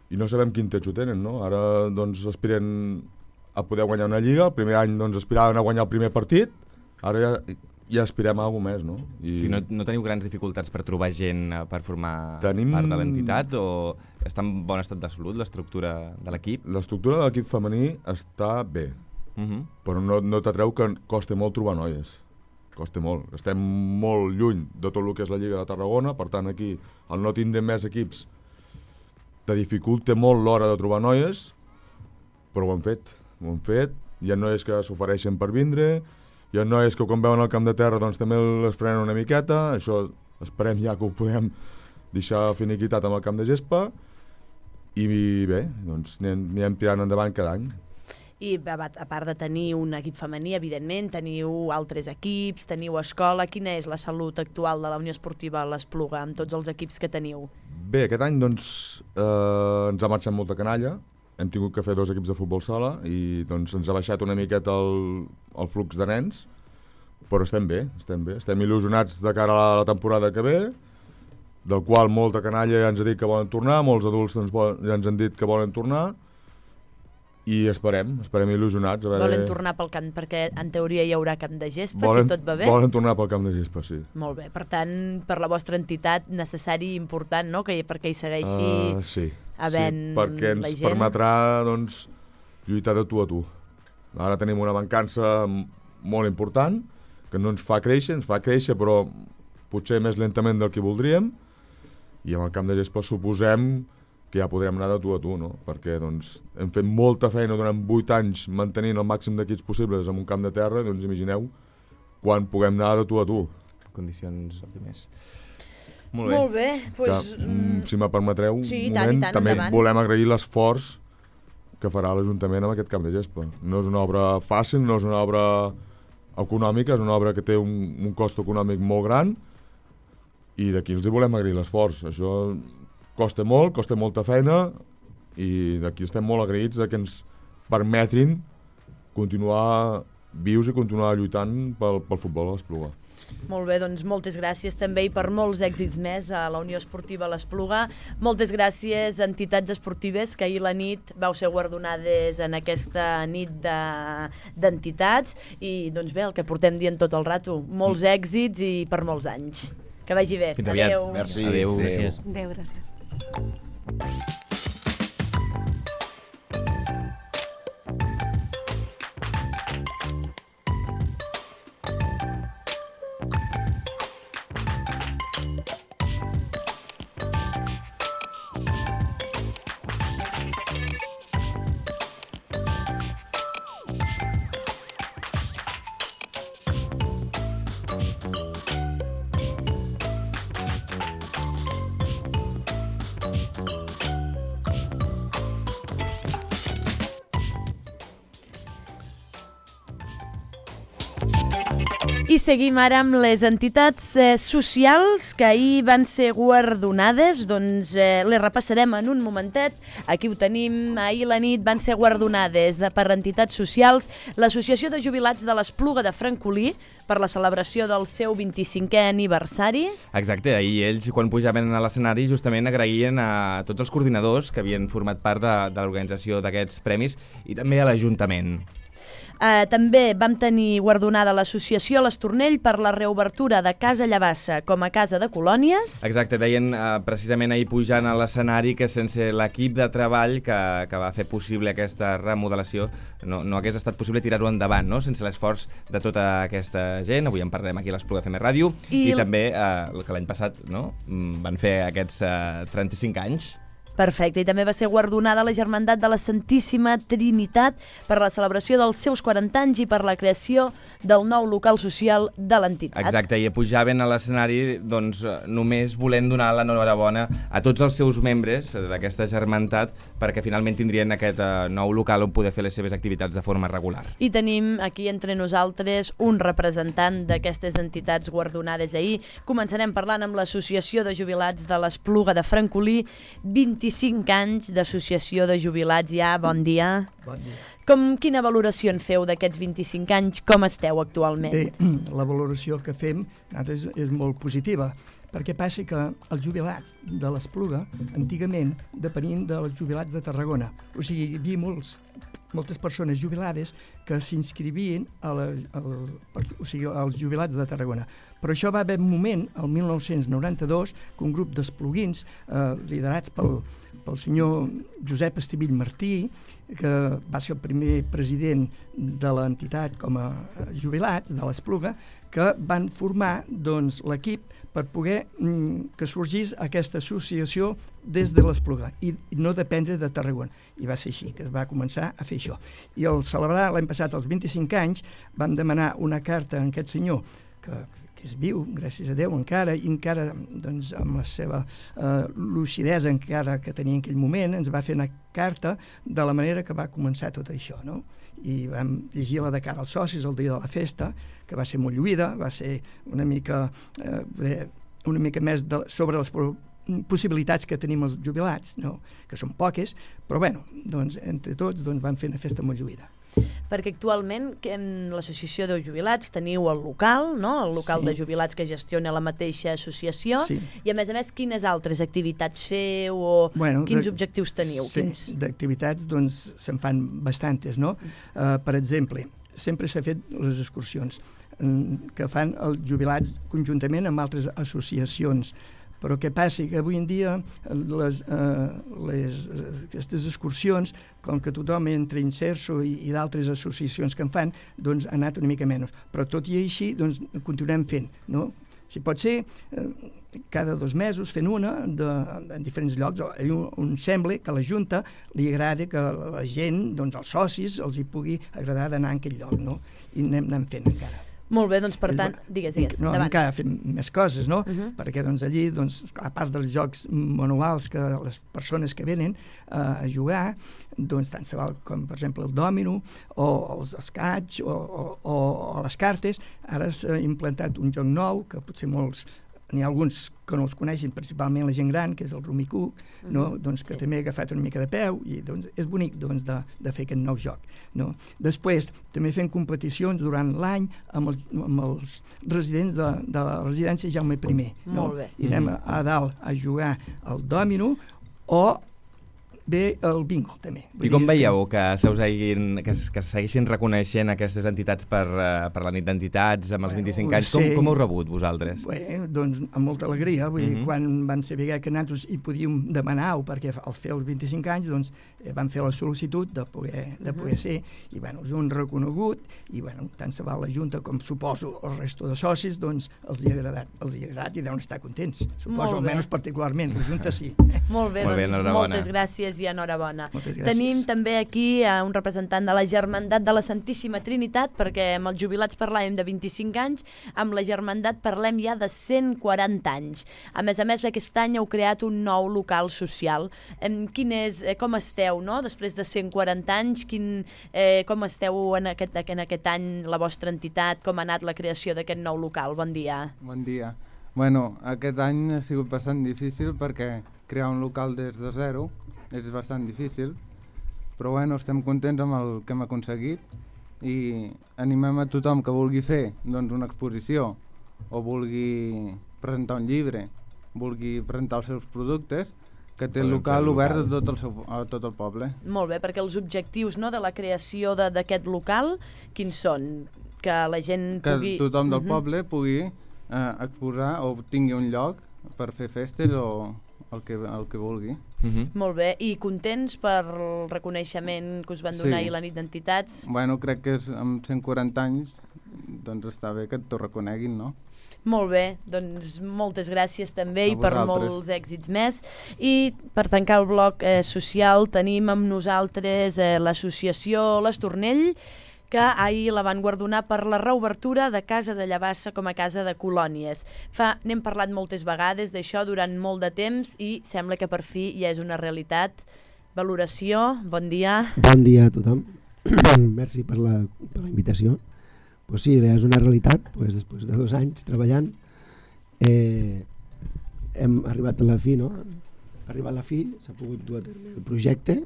i no sabem quin techo tenen, no? Ara doncs aspiren a poder guanyar una lliga, el primer any doncs aspiraven a guanyar el primer partit, ara ja aspirem a alguna més, no? Sí, no teniu grans dificultats per trobar gent per formar part de l'entitat, o està en bon estat de salut l'estructura de l'equip? L'estructura de l'equip femení està bé, però no t'atreu que costa molt trobar noies. Costa molt. Estem molt lluny de tot el que és la Lliga de Tarragona, per tant aquí el no tindre més equips te dificulta molt l'hora de trobar noies, però ho hem fet. Hi ha noies que s'ofereixen per vindre, hi ha noies que quan veuen el camp de terra doncs també les frenen una miqueta, això esperem ja que ho podem deixar finiquitat amb el camp de gespa, i bé, doncs anirem tirant endavant cada any. I a part de tenir un equip femení, evidentment, teniu altres equips, teniu escola. Quina és la salut actual de la Unió Esportiva l'Espluga amb tots els equips que teniu? Bé, aquest any doncs, ens ha marxat molta canalla. Hem tingut que fer 2 equips de futbol sala i doncs, ens ha baixat una miqueta el flux de nens, però estem bé. Estem il·lusionats de cara a la temporada que ve, del qual molta canalla ja ens ha dit que volen tornar, molts adults ja ens han dit que volen tornar, i esperem il·lusionats. Volen tornar pel camp, perquè en teoria hi haurà camp de gespa, si tot va bé? Volen tornar pel camp de gespa, sí. Molt bé, per tant, per la vostra entitat, necessari i important, no?, perquè hi segueixi havent la gent. Perquè ens permetrà, doncs, lluitar de tu a tu. Ara tenim una mancança molt important, que no ens fa créixer, però potser més lentament del que voldríem, i amb el camp de gespa suposem que ja podrem anar de tu a tu, no? Perquè doncs, hem fet molta feina durant 8 anys mantenint el màxim d'equips possibles en un camp de terra, doncs imagineu quan puguem anar de tu a tu. Condicions òptimes. Molt bé. Pues, si me permetreu un sí, moment, tant, també endavant. volem agrair l'esforç que farà l'Ajuntament amb aquest camp de gespa. No és una obra fàcil, no és una obra econòmica, és una obra que té un cost econòmic molt gran i d'aquí els hi volem agrair l'esforç. Això costa molt, costa molta feina i d'aquí estem molt agraïts que ens permetin continuar vius i continuar lluitant pel futbol a l'Espluga. Molt bé, doncs moltes gràcies també i per molts èxits més a la Unió Esportiva l'Espluga. Moltes gràcies a entitats esportives que ahir la nit vau ser guardonades en aquesta nit d'entitats i doncs bé, el que portem dient tot el rato, molts èxits i per molts anys. Que vagi bé. Fins aviat. Adéu. Merci. Adéu. Gràcies. Adéu, gràcies. I seguim ara amb les entitats socials que ahir van ser guardonades, doncs les repassarem en un momentet. Aquí ho tenim, ahir la nit van ser guardonades per entitats socials l'Associació de Jubilats de l'Espluga de Francolí per la celebració del seu 25è aniversari. Exacte, ahir ells quan pujaven a l'escenari justament agraïen a tots els coordinadors que havien format part de l'organització d'aquests premis i també a l'Ajuntament. També vam tenir guardonada l'Associació l'Estornell per la reobertura de Casa Llavassa com a casa de colònies. Exacte, deien precisament ahir pujant a l'escenari que sense l'equip de treball que va fer possible aquesta remodelació no hagués estat possible tirar-ho endavant, no? Sense l'esforç de tota aquesta gent. Avui en parlem aquí a l'Espluga FM Ràdio i també que l'any passat van fer aquests 35 anys. Perfecte, i també va ser guardonada la Germandat de la Santíssima Trinitat per la celebració dels seus 40 anys i per la creació del nou local social de l'entitat. Exacte, i pujaven a l'escenari doncs, només volent donar l'enhorabona a tots els seus membres d'aquesta Germandat perquè finalment tindrien aquest nou local on poder fer les seves activitats de forma regular. I tenim aquí entre nosaltres un representant d'aquestes entitats guardonades ahir. Començarem parlant amb l'Associació de Jubilats de l'Espluga de Francolí, 25 anys d'associació de jubilats ja, bon dia. Bon dia. Quina valoració en feu d'aquests 25 anys? Com esteu actualment? Bé, la valoració que fem és molt positiva, perquè passa que els jubilats de l'Espluga antigament depenien dels jubilats de Tarragona. O sigui, hi havia moltes persones jubilades que s'inscrivien als jubilats de Tarragona. Però això va haver un moment, el 1992, que un grup d'espluguins liderats pel senyor Josep Estivill Martí, que va ser el primer president de l'entitat com a jubilats de l'Espluga, que van formar l'equip per poder que sorgís aquesta associació des de l'Espluga i no dependre de Tarragona. I va ser així que es va començar a fer això. I al celebrar l'any passat els 25 anys vam demanar una carta a aquest senyor que és viu, gràcies a Déu, encara, i encara doncs, amb la seva lucidesa encara que tenia en aquell moment, ens va fer una carta de la manera que va començar tot això, no? I vam llegir-la de cara als socis el dia de la festa, que va ser molt lluïda, va ser una mica més sobre les possibilitats que tenim els jubilats, no? Que són poques, però bueno, doncs, entre tots vam fer una festa molt lluïda. Perquè actualment en l'associació de jubilats teniu el local, no? El local de jubilats que gestiona la mateixa associació, i a més, quines altres activitats feu o quins objectius teniu? D'activitats doncs se'n fan bastantes, no? Per exemple, sempre s'ha fet les excursions que fan els jubilats conjuntament amb altres associacions. Però què passa? Que avui en dia aquestes excursions, com que tothom entra Inserso i d'altres associacions que en fan, doncs ha anat una mica menys. Però tot i així, doncs continuem fent, no? Si pot ser, cada 2 mesos fent una en diferents llocs. Em sembla que a la Junta li agrada que la gent, doncs els socis, els hi pugui agradar d'anar a aquell lloc, no? I anem fent encara. Molt bé, doncs per tant, digues, No, endavant. encara fem més coses, no? Perquè doncs, allí, doncs, a part dels jocs manuals que les persones que venen a jugar, doncs, tant se val com, per exemple, el dòmino o els escaig o les cartes. Ara s'ha implantat un joc nou que potser molts n'hi ha alguns que no els coneixen, principalment la gent gran, que és el Rumicook, no? Doncs que també ha agafat una mica de peu i doncs, és bonic doncs, de fer aquest nou joc. No? Després, també fem competicions durant l'any amb els residents de la residència Jaume I. No? Molt bé. I anem a dalt a jugar al dòmino o bé el bingo, també. I com veieu que se segueixin reconeixent aquestes entitats per la nit d'entitats amb els 25 anys? Com ho heu rebut vosaltres? Bé, doncs amb molta alegria. Vull dir, quan van saber que nosaltres hi podíem demanar-ho, perquè al fer els 25 anys doncs, van fer la sol·licitud de poder ser, i bueno, us ho han reconegut, i bueno, tant se val la Junta com suposo el resto de socis, doncs els hi ha agradat i deuen estar contents. Suposo, almenys particularment, la Junta sí. Molt bé, doncs moltes gràcies i enhorabona. Tenim també aquí un representant de la Germandat de la Santíssima Trinitat, perquè amb els jubilats parlàvem de 25 anys, amb la Germandat parlem ja de 140 anys. A més, aquest any heu creat un nou local social. Com esteu, no? Després de 140 anys, com esteu en aquest any, la vostra entitat, com ha anat la creació d'aquest nou local? Bon dia. Bon dia. Bueno, aquest any ha sigut bastant difícil perquè crear un local des de zero és bastant difícil, però bueno, estem contents amb el que hem aconseguit i animem a tothom que vulgui fer doncs, una exposició o vulgui presentar un llibre, vulgui presentar els seus productes, que té el local obert a tot el poble. Molt bé, perquè els objectius de la creació d'aquest local, quins són? Que la gent pugui... Que tothom del poble pugui exposar o tingui un lloc per fer festes o el que vulgui. Molt bé, i contents per el reconeixement que us van donar ahir la nit d'entitats? Bueno, crec que amb 140 anys doncs està bé que t'ho reconeguin, no? Molt bé, doncs moltes gràcies també i per molts èxits més. I per tancar el bloc social tenim amb nosaltres l'associació l'Estornell, que ahir la van guardonar per la reobertura de Casa de Llavassa com a casa de colònies. N'hem parlat moltes vegades d'això durant molt de temps i sembla que per fi ja és una realitat. Valoració, bon dia. Bon dia a tothom. Merci per la invitació. Pues sí, és una realitat, pues, després de 2 anys treballant hem arribat a la fi, no? Arribat a la fi, s'ha pogut dur a terme el projecte.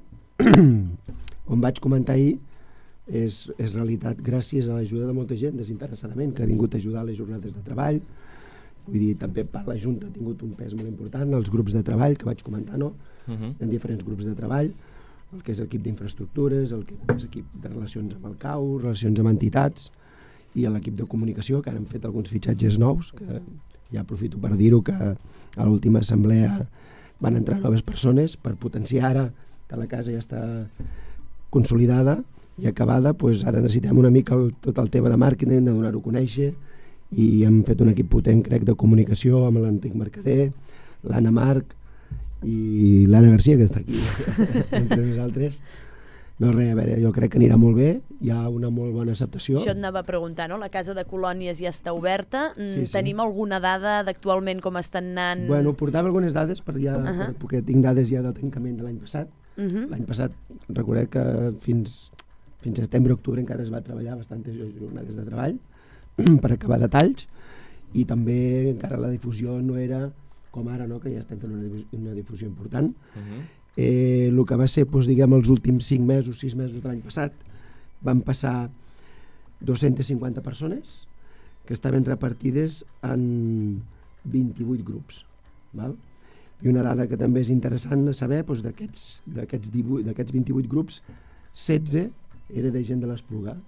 Com vaig comentar ahir, és realitat gràcies a l'ajuda de molta gent desinteressadament que ha vingut a ajudar a les jornades de treball. Vull dir, també per la Junta ha tingut un pes molt important, els grups de treball que vaig comentar, no? En diferents grups de treball, el que és l'equip d'infraestructures, el que és l'equip de relacions amb el CAU, relacions amb entitats, i l'equip de comunicació, que ara han fet alguns fitxatges nous, que ja aprofito per dir-ho, que a l'última assemblea van entrar noves persones per potenciar ara que la casa ja està consolidada i acabada, doncs ara necessitem una mica tot el tema de màrqueting, de donar-ho a conèixer, i hem fet un equip potent, crec, de comunicació amb l'Enric Mercader, l'Anna Marc i l'Anna Garcia, que està aquí entre nosaltres. No, res, a veure, jo crec que anirà molt bé, hi ha una molt bona acceptació. Això et anava a preguntar, no? La casa de colònies ja està oberta. Tenim alguna dada d'actualment com estan anant? Bueno, portava algunes dades perquè tinc dades ja del tancament de l'any passat. L'any passat, recordeu que fins setembre-octubre encara es va treballar bastantes jornades de treball per acabar detalls, i també encara la difusió no era com ara, no? Que ja estem fent una difusió important. El que va ser, diguem, els últims 5 mesos, 6 mesos de l'any passat, van passar 250 persones que estaven repartides en 28 grups. Val? I una dada que també és interessant saber, d'aquests 28 grups, 16 era de gent de l'Espluga,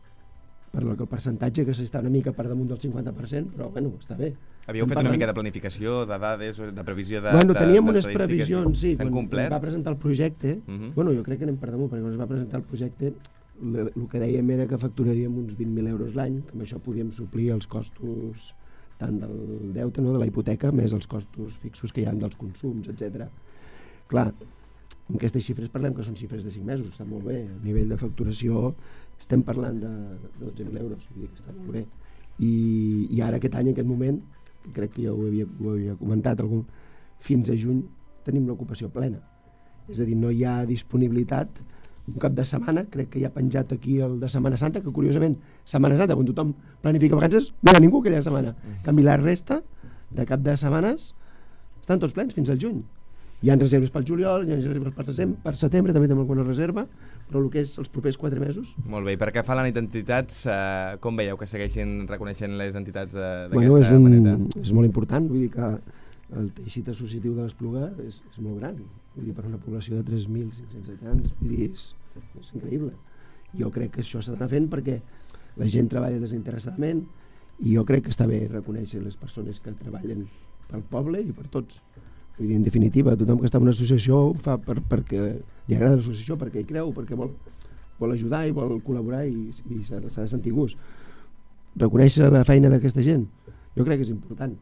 per lo que el percentatge que s'està una mica per damunt del 50%, però bueno, està bé. Havíeu fet una mica de planificació, de dades, de previsió de bueno, teníem unes previsions, sí, s'han complert? Quan es va presentar el projecte, bueno, jo crec que anem per damunt, perquè quan es va presentar el projecte, el que dèiem era que facturaríem uns 20.000 euros l'any, que amb això podíem suplir els costos tant del deute, no, de la hipoteca, més els costos fixos que hi ha dels consums, etc. Clar, amb aquestes xifres parlem que són xifres de 5 mesos, està molt bé. A nivell de facturació estem parlant de 12.000 euros, vull dir que està molt bé. i ara aquest any, en aquest moment, crec que ja ho havia comentat, fins a juny tenim l'ocupació plena. És a dir, no hi ha disponibilitat. Un cap de setmana, crec que ja ha penjat aquí el de Setmana Santa, que curiosament, Setmana Santa, quan tothom planifica vacances, no hi ha ningú aquella setmana. En canvi, la resta de cap de setmanes estan tots plens fins al juny. Hi ha reserves pel juliol, hi ha reserves per setembre, també tenim alguna reserva, però el que és els propers 4 mesos... Molt bé, i per què fa la nit d'entitats, com veieu que segueixin reconeixent les entitats d'aquesta manera? És molt important, vull dir que el teixit associatiu de l'Espluga és molt gran, vull dir, per una població de 3.500 habitants, vull dir, és increïble. Jo crec que això s'ha d'anar fent perquè la gent treballa desinteressadament i jo crec que està bé reconèixer les persones que treballen pel poble i per tots. Vull dir, en definitiva, tothom que està en una associació ho fa perquè li agrada l'associació, perquè hi creu, perquè vol ajudar i vol col·laborar i s'ha de sentir gust. Reconèixer la feina d'aquesta gent jo crec que és important,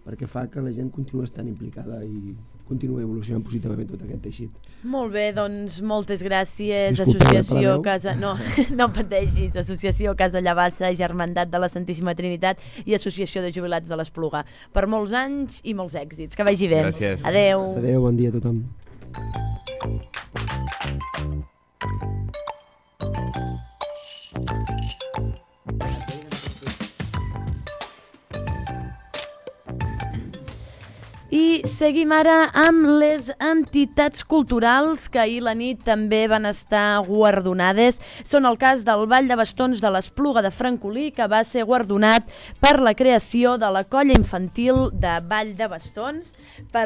perquè fa que la gent continua estant implicada i continua evolucionant positivament tot aquest teixit. Molt bé, doncs moltes gràcies. Disculpa, Associació Casa... No pateixis. Associació Casa Llavassa, Germandat de la Santíssima Trinitat i Associació de Jubilats de l'Espluga. Per molts anys i molts èxits. Que vagi bé. Gràcies. Adeu. Adeu, bon dia a tothom. I seguim ara amb les entitats culturals que ahir la nit també van estar guardonades. Són el cas del Ball de Bastons de l'Espluga de Francolí, que va ser guardonat per la creació de la colla infantil de Ball de Bastons, per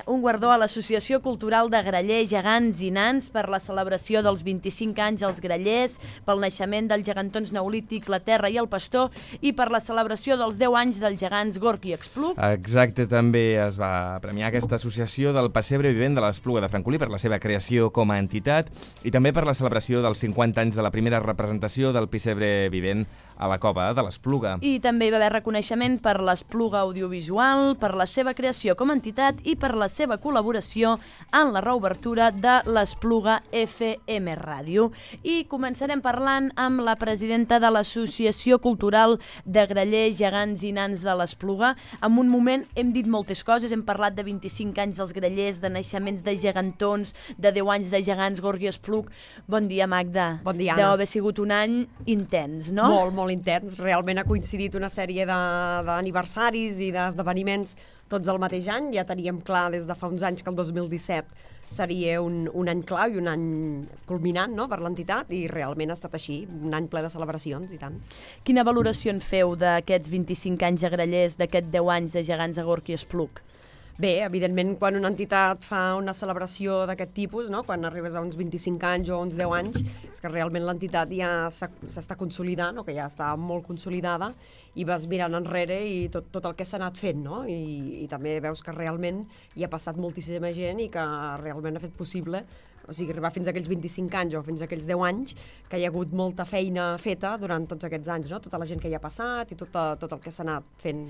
un guardó a l'Associació Cultural de Grallers, Gegants i Nans per la celebració dels 25 anys als Grallers, pel naixement dels gegantons neolítics, la Terra i el Pastor, i per la celebració dels 10 anys dels gegants Gorg i Expluc. Exacte, també es va premiar aquesta associació del Pessebre Vivent de l'Espluga de Francolí per la seva creació com a entitat i també per la celebració dels 50 anys de la primera representació del Pessebre Vivent a la Cova de l'Espluga. I també hi va haver reconeixement per l'Espluga Audiovisual, per la seva creació com a entitat i per la seva col·laboració en la reobertura de l'Espluga FM Ràdio. I començarem parlant amb la presidenta de l'Associació Cultural de Grallers, Gegants i Nans de l'Espluga. En un moment hem dit moltes coses, hem parlat de 25 anys dels Grallers, de naixements de gegantons, de 10 anys de gegants Gorg i Expluc. Bon dia, Magda. Bon dia, Anna. Deu haver sigut un any intens, no? Molt intens. Realment ha coincidit una sèrie d'aniversaris i d'esdeveniments tots al mateix any. Ja teníem clar des de fa uns anys que el 2017 seria un any clau i un any culminant, no?, per l'entitat, i realment ha estat així, un any ple de celebracions i tant. Quina valoració en feu d'aquests 25 anys a Grallers, d'aquests 10 anys de gegants a Gorg i Expluc? Bé, evidentment, quan una entitat fa una celebració d'aquest tipus, no?, quan arribes a uns 25 anys o uns 10 anys, és que realment l'entitat ja s'està consolidant, o que ja està molt consolidada, i vas mirant enrere i tot el que s'ha anat fent, no? I també veus que realment hi ha passat moltíssima gent i que realment ha fet possible, o sigui, arribar fins a aquells 25 anys o fins a aquells 10 anys, que hi ha hagut molta feina feta durant tots aquests anys, no? Tota la gent que hi ha passat i tot el que s'ha anat fent.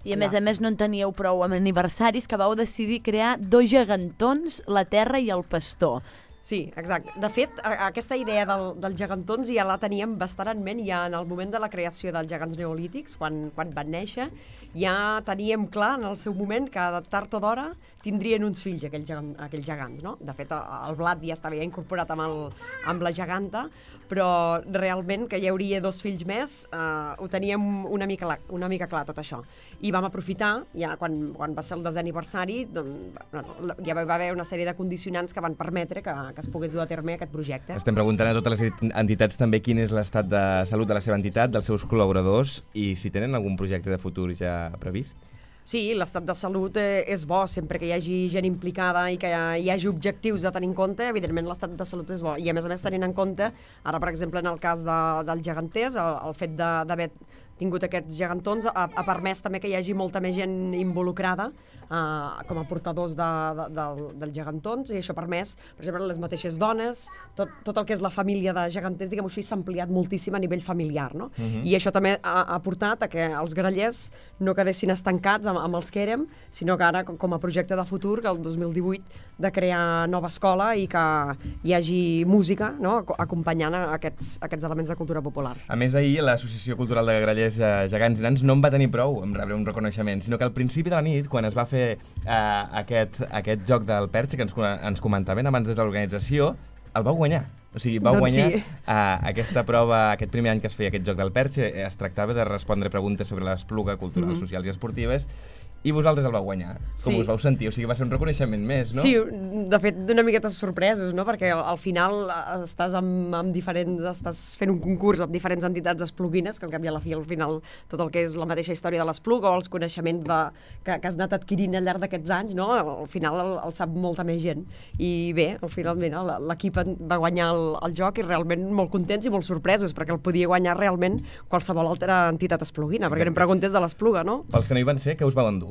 I a més no en teníeu prou amb aniversaris, que vau decidir crear 2 gegantons, la Terra i el Pastor. Sí, exacte. De fet, aquesta idea dels gegantons ja la teníem bastant en ment ja en el moment de la creació dels gegants neolítics, quan van néixer, ja teníem clar en el seu moment que tard o d'hora tindrien uns fills aquells gegants, no? De fet, el blat ja estava incorporat amb la geganta, però realment que hi hauria 2 fills més, ho teníem una mica clar tot això. I vam aprofitar, ja quan va ser el 10è aniversari, ja va haver una sèrie de condicionants que van permetre que es pogués dur a terme aquest projecte. Estem preguntant a totes les entitats també quin és l'estat de salut de la seva entitat, dels seus col·laboradors, i si tenen algun projecte de futur ja previst. Sí, l'estat de salut és bo, sempre que hi hagi gent implicada i que hi hagi objectius a tenir en compte, evidentment l'estat de salut és bo. I a més tenint en compte, ara per exemple en el cas dels geganters, el fet d'haver tingut aquests gegantons ha permès també que hi hagi molta més gent involucrada com a portadors dels gegantons, i això ha permès, per exemple, les mateixes dones, tot el que és la família de geganters, diguem-ho així, s'ha ampliat moltíssim a nivell familiar, no? I això també ha portat a que els grallers no quedessin estancats amb els que érem, sinó que ara, com a projecte de futur, que el 2018 de crear nova escola i que hi hagi música, no?, acompanyant aquests elements de cultura popular. A més, ahir l'Associació Cultural de Grallers, Pessebres gegants i nans no en va tenir prou en rebre un reconeixement, sinó que al principi de la nit, quan es va fer aquest joc del Perche, que ens comentaven abans des de l'organització, el vau guanyar. O sigui, vau guanyar aquesta prova, aquest primer any que es feia aquest joc del Perche, es tractava de respondre preguntes sobre l'Espluga culturals, socials i esportives, i vosaltres el vau guanyar. Com us vau sentir? O sigui, va ser un reconeixement més, no? Sí, de fet, d'una miqueta sorpresos, no? Perquè al final estàs estàs fent un concurs amb diferents entitats espluguines, que al cap i a la fi, al final, tot el que és la mateixa història de l'Espluga o els coneixements que has anat adquirint al llarg d'aquests anys, no? Al final el sap molta més gent. I bé, finalment, l'equip va guanyar el joc i realment molt contents i molt sorpresos, perquè el podia guanyar realment qualsevol altra entitat espluguina, perquè eren preguntes de l'Espluga, no? Pels que no hi van ser, què us vau endur?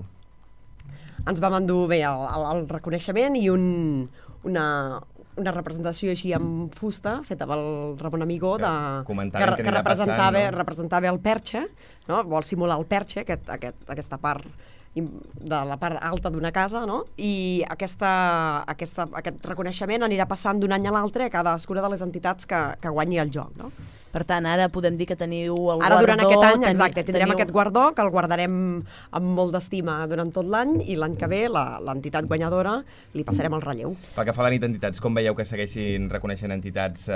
Ens vam endur bé el reconeixement i una representació així amb fusta feta pel Ramon Amigó que representava el Perche, no? Vol simular el Perche, aquesta part de la part alta d'una casa, no? I aquest reconeixement anirà passant d'un any a l'altre a cadascuna de les entitats que guanyi el joc, no? Per tant, ara podem dir que teniu el guardó... Ara, durant aquest any, exacte, tindrem aquest guardó, que el guardarem amb molt d'estima durant tot l'any, i l'any que ve, l'entitat guanyadora, li passarem el relleu. Pel que fa a la nit d'entitats, com veieu que segueixin reconeixent entitats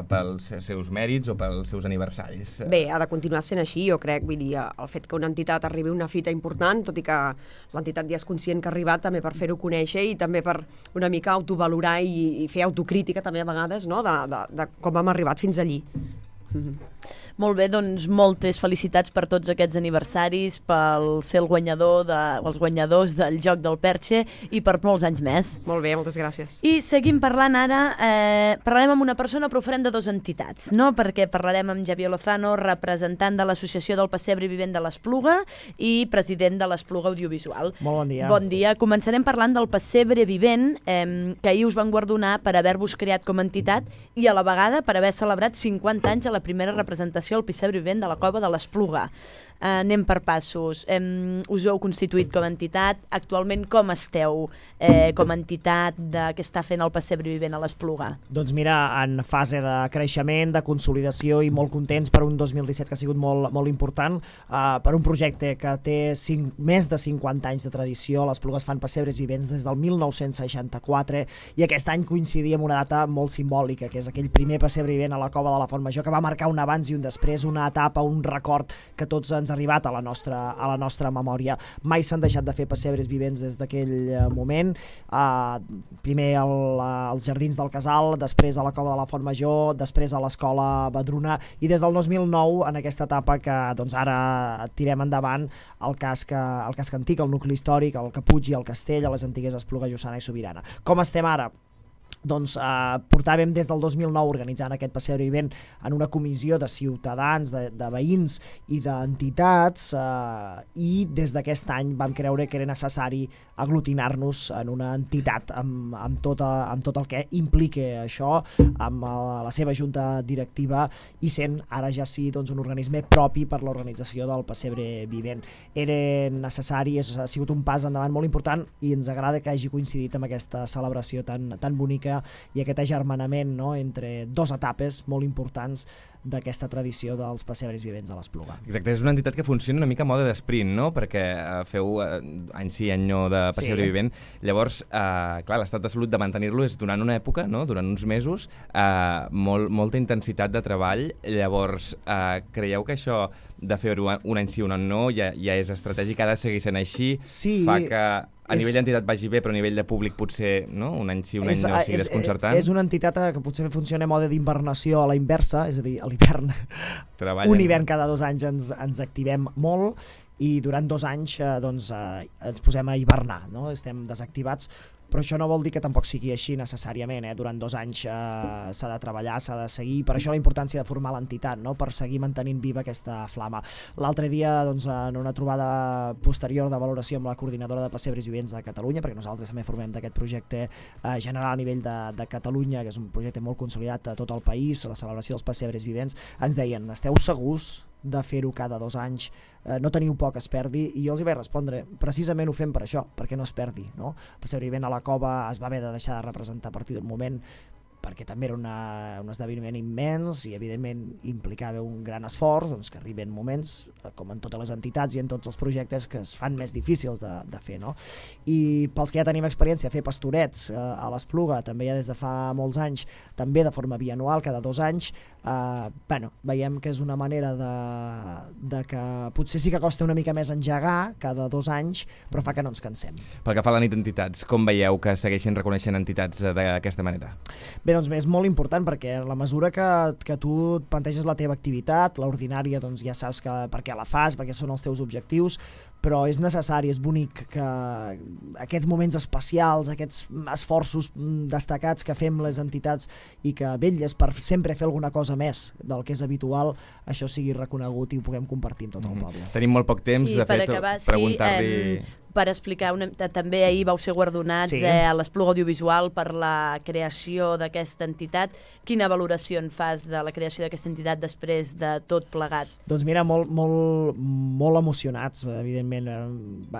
pels seus mèrits o pels seus aniversaris? Bé, ha de continuar sent així, jo crec. Vull dir, el fet que una entitat arribi a una fita important, tot i que l'entitat ja és conscient que ha arribat, també per fer-ho conèixer i també per una mica autovalorar i fer autocrítica també a vegades, no?, de com hem arribat fins allí. Molt bé, doncs moltes felicitats per tots aquests aniversaris, pel ser els guanyadors del joc del Perche i per molts anys més. Molt bé, moltes gràcies. I seguim parlant ara, parlarem amb una persona però ho farem de dues entitats, no? Perquè parlarem amb Javier Lozano, representant de l'Associació del Pessebre Vivent de l'Espluga i president de l'Espluga Audiovisual. Molt bon dia. Bon dia. Començarem parlant del Pessebre Vivent, que ahir us van guardonar per haver-vos creat com a entitat i a la vegada per haver celebrat 50 anys a la primera representació al Pessebre Vivent de la Cova de l'Espluga. Anem per passos. Us heu constituït com a entitat. Actualment com esteu com a entitat que està fent el Pessebre Vivent a l'Espluga? Doncs mira, en fase de creixement, de consolidació i molt contents per un 2017 que ha sigut molt important, per un projecte que té més de 50 anys de tradició. L'Espluga es fan pessebres vivents des del 1964 i aquest any coincidia amb una data molt simbòlica, que és aquell primer pessebre vivent a la Cova de la Font Major, que va marcar un abans i un després, una etapa, un record que tots ens ha arribat a la nostra memòria. Mai s'han deixat de fer pessebres vivents des d'aquell moment, primer als Jardins del Casal, després a la Cova de la Font Major, després a l'Escola Badruna i des del 2009 en aquesta etapa que doncs, ara tirem endavant el casc antic, el nucli històric, el Caputx i el Castell, a les antigues Espluga, Lluçana i Sobirana. Com estem ara? Doncs portàvem des del 2009 organitzant aquest pessebre vivent en una comissió de ciutadans, de veïns i d'entitats, i des d'aquest any vam creure que era necessari aglutinar-nos en una entitat amb tot el que implica això, amb la seva junta directiva i sent ara ja sí doncs, un organisme propi per l'organització del pessebre vivent. Era necessari, ha sigut un pas endavant molt important i ens agrada que hagi coincidit amb aquesta celebració tan bonica i aquest agermanament, no?, entre dues etapes molt importants d'aquesta tradició dels pessebres vivents a l'Espluga. Exacte, és una entitat que funciona una mica a mode d'esprint, no?, perquè feu any sí, any no de pessebre vivent. Llavors, clar, l'estat de salut de mantenir-lo és durant una època, no?, durant uns mesos, molta intensitat de treball. Llavors, creieu que això de fer-ho un any sí, un any no, ja és estratègic, ha de seguir sent així, fa que a nivell d'entitat vagi bé, però a nivell de públic potser no? Un any sí, un any no sigui desconcertant. És una entitat que potser funciona a mode d'invernació a la inversa, és a dir, a l'hivern. Un hivern cada 2 anys ens activem molt i durant 2 anys ens posem a hivernar, no? Estem desactivats, però això no vol dir que tampoc sigui així necessàriament. Durant 2 anys s'ha de treballar, s'ha de seguir, per això la importància de formar l'entitat, no? Per seguir mantenint viva aquesta flama. L'altre dia, en una trobada posterior de valoració amb la coordinadora de pessebres vivents de Catalunya, perquè nosaltres també formem d'aquest projecte general a nivell de Catalunya, que és un projecte molt consolidat a tot el país, la celebració dels pessebres vivents, ens deien, esteu segurs de fer-ho cada 2 anys, no teniu por que es perdi? I jo els hi vaig respondre, precisament ho fem per això, perquè no es perdi, no? El pessebre vivent a la Cova es va haver de deixar de representar a partir d'un moment perquè també era un esdeveniment immens i evidentment implicava un gran esforç, doncs que arriben moments, com en totes les entitats i en tots els projectes, que es fan més difícils de fer, no? I pels que ja tenim experiència a fer pastorets a l'Espluga, també ja des de fa molts anys, també de forma bianual, cada 2 anys, veiem que és una manera de que potser sí que costa una mica més engegar cada 2 anys, però fa que no ens cansem. Pel que fa a la nit d'entitats, com veieu que segueixin reconeixent entitats d'aquesta manera? Bé, doncs és molt important, perquè en la mesura que tu et planteges la teva activitat, l'ordinària, doncs ja saps per què la fas, perquè són els teus objectius, però és necessari, és bonic que aquests moments especials, aquests esforços destacats que fem les entitats i que vetlles per sempre fer alguna cosa més del que és habitual, això sigui reconegut i ho puguem compartir amb tot el poble. Tenim molt poc temps, de fet, preguntar-li... Per explicar, també ahir vau ser guardonats a l'Espluga Audiovisual per la creació d'aquesta entitat. Quina valoració en fas de la creació d'aquesta entitat després de tot plegat? Doncs mira, molt emocionats, evidentment.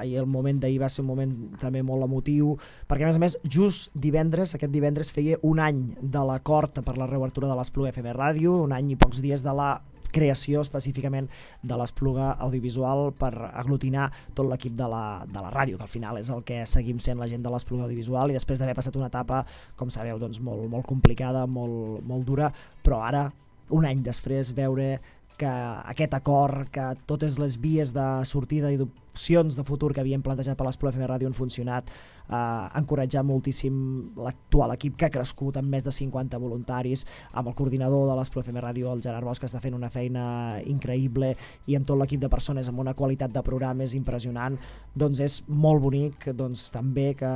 El moment d'ahir va ser un moment també molt emotiu, perquè a més, just aquest divendres feia un any de l'acord per la reobertura de l'Espluga FM Ràdio, un any i pocs dies de la creació específicament de l'Espluga Audiovisual per aglutinar tot l'equip de la ràdio, que al final és el que seguim sent la gent de l'Espluga Audiovisual, i després d'haver passat una etapa, com sabeu, doncs molt complicada, molt dura, però ara, un any després, veure que aquest acord, que totes les vies de sortida i d'opcions de futur que havíem plantejat per l'Espluga FM Ràdio han funcionat, encoratjar moltíssim l'actual equip, que ha crescut amb més de 50 voluntaris, amb el coordinador de l'Espluga FM Ràdio, el Gerard Bosch, que està fent una feina increïble, i amb tot l'equip de persones amb una qualitat de programes impressionant. Doncs és molt bonic, doncs, també que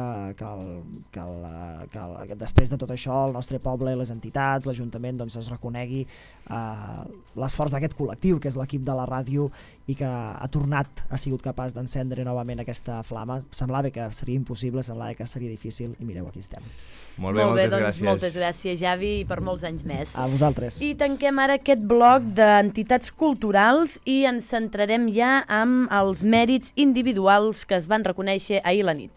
després de tot això el nostre poble, les entitats, l'Ajuntament, doncs, es reconegui l'esforç d'aquest col·lectiu, que és l'equip de la ràdio, i que ha sigut capaç d'encendre novament aquesta flama. Semblava que seria impossible, semblava que seria difícil, i mireu, aquí estem. Molt bé, moltes gràcies. Moltes gràcies, Javi, i per molts anys més. A vosaltres. I tanquem ara aquest bloc d'entitats culturals i ens centrarem ja amb els mèrits individuals que es van reconèixer ahir a la nit.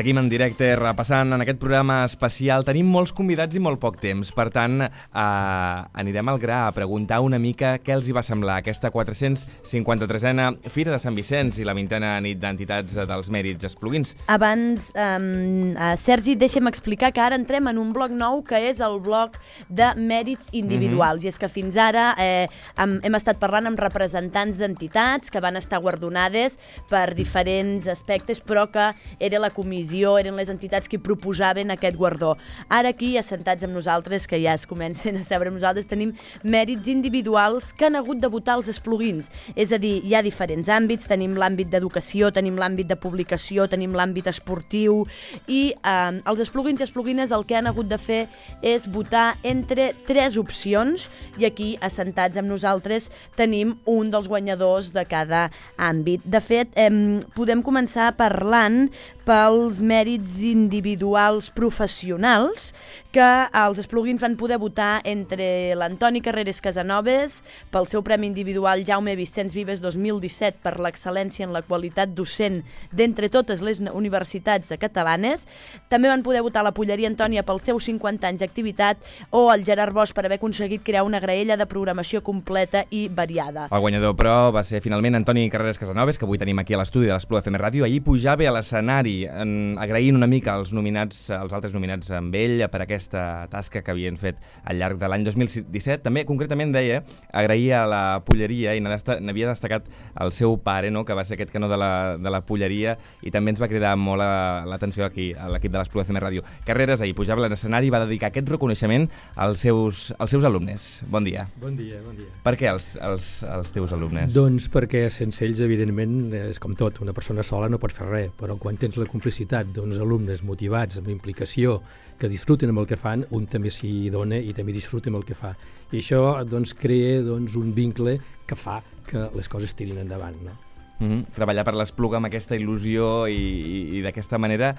Seguim en directe, repassant en aquest programa especial. Tenim molts convidats i molt poc temps, per tant, anirem al gra a preguntar una mica què els hi va semblar aquesta 453a Fira de Sant Vicenç i la 20a nit d'entitats dels mèrits espluguins. Abans, Sergi, deixa'm explicar que ara entrem en un bloc nou, que és el bloc de mèrits individuals. I és que fins ara hem estat parlant amb representants d'entitats que van estar guardonades per diferents aspectes, però que era la comissió, eren les entitats que proposaven aquest guardó. Ara aquí, assentats amb nosaltres, que ja es comencen a seure amb nosaltres, tenim mèrits individuals que han hagut de votar els espluguins. És a dir, hi ha diferents àmbits, tenim l'àmbit d'educació, tenim l'àmbit de publicació, tenim l'àmbit esportiu, i els espluguins i espluguines el que han hagut de fer és votar entre 3 opcions, i aquí, assentats amb nosaltres, tenim un dels guanyadors de cada àmbit. De fet, podem començar parlant pels mèrits individuals professionals, que els espluguins van poder votar entre l'Antoni Carreras Casanovas pel seu Premi Individual Jaume Vicenç Vives 2017 per l'excel·lència en la qualitat docent d'entre totes les universitats catalanes. També van poder votar la Polleria Antònia pels seus 50 anys d'activitat, o el Gerard Bosch per haver aconseguit crear una graella de programació completa i variada. El guanyador, però, va ser finalment Antoni Carreras Casanovas, que avui tenim aquí a l'estudi de l'Espluga FM Ràdio. Ahir pujava a l'escenari agraint una mica els altres nominats amb ell per aquesta tasca que havien fet al llarg de l'any 2017. També, concretament, deia, agrair a la Polleria, i n'havia destacat el seu pare, no?, que va ser aquest canó de la Polleria, i també ens va cridar molt l'atenció aquí, a l'equip de l'Espluga FM Ràdio. Carreras ahir pujava a l'escenari i va dedicar aquest reconeixement als seus alumnes. Bon dia. Bon dia, bon dia. Per què els teus alumnes? Doncs perquè sense ells, evidentment, és com tot, una persona sola no pot fer res, però quan tens la complicitat quantitat alumnes motivats, amb implicació, que disfruten amb el que fan, un també s'hi dona i també disfruta amb el que fa. I això crea un vincle que fa que les coses tirin endavant, no? Treballar per l'Espluga amb aquesta il·lusió i d'aquesta manera.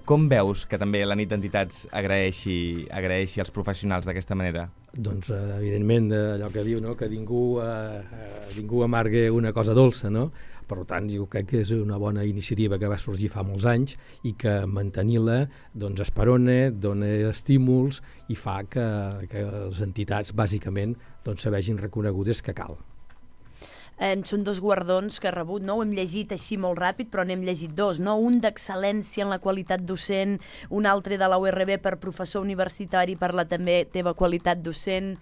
Com veus que també la nit d'entitats agraeixi als professionals d'aquesta manera? Doncs, evidentment, allò que diu, no? Que ningú amargue una cosa dolça, no? Per tant, jo crec que és una bona iniciativa que va sorgir fa molts anys i que mantenir-la esperona, dona estímuls i fa que les entitats, bàsicament, se vegin reconegudes que cal. Són 2 guardons que ha rebut, no? Ho hem llegit així molt ràpid, però n'hem llegit 2, no? Un d'excel·lència en la qualitat docent, un altre de la URB per professor universitari per la també teva qualitat docent.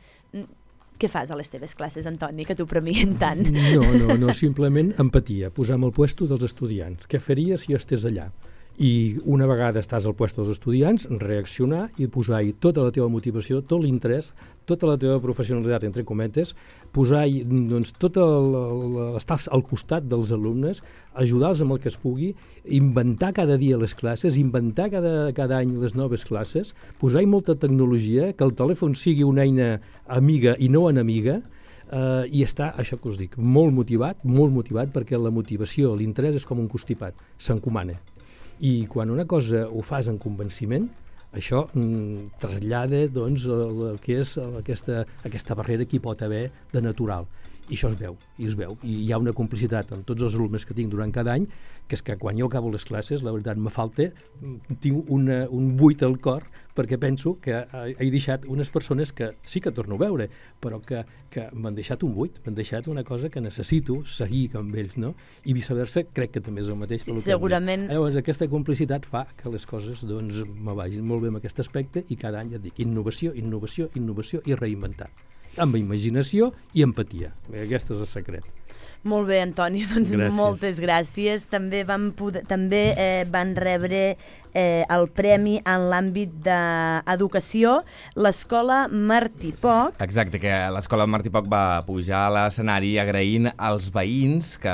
Què fas a les teves classes, Antoni, que t'ho premien tant? No, simplement empatia, posar en el puesto dels estudiants. Què faries si jo estés allà? I una vegada estàs al puesto dels estudiants, reaccionar i posar-hi tota la teva motivació, tot l'interès, tota la teva professionalitat, entre cometes, posar-hi estar al costat dels alumnes, ajudar-los amb el que es pugui, inventar cada dia les classes, inventar cada any les noves classes, posar-hi molta tecnologia, que el telèfon sigui una eina amiga i no enemiga, i està, això que us dic, molt motivat perquè la motivació, l'interès és com un constipat, s'encomana. I quan una cosa ho fas en convenciment, això trasllada el que és aquesta barrera que hi pot haver de natural. I això es veu. I hi ha una complicitat amb tots els alumnes que tinc durant cada any, que és que quan jo acabo les classes, la veritat, tinc un buit al cor, perquè penso que he deixat unes persones que sí que torno a veure, però que m'han deixat un buit, m'han deixat una cosa que necessito seguir amb ells, no? I viceversa, crec que també és el mateix. Sí, segurament. Llavors, aquesta complicitat fa que les coses me vagin molt bé en aquest aspecte i cada any et dic innovació i reinventar. Amb imaginació i empatia. Aquest és el secret. Molt bé, Antoni, moltes gràcies. També van rebre el premi en l'àmbit d'educació l'Escola Martí Poch. Exacte, que l'Escola Martí Poch va pujar a l'escenari agraint als veïns que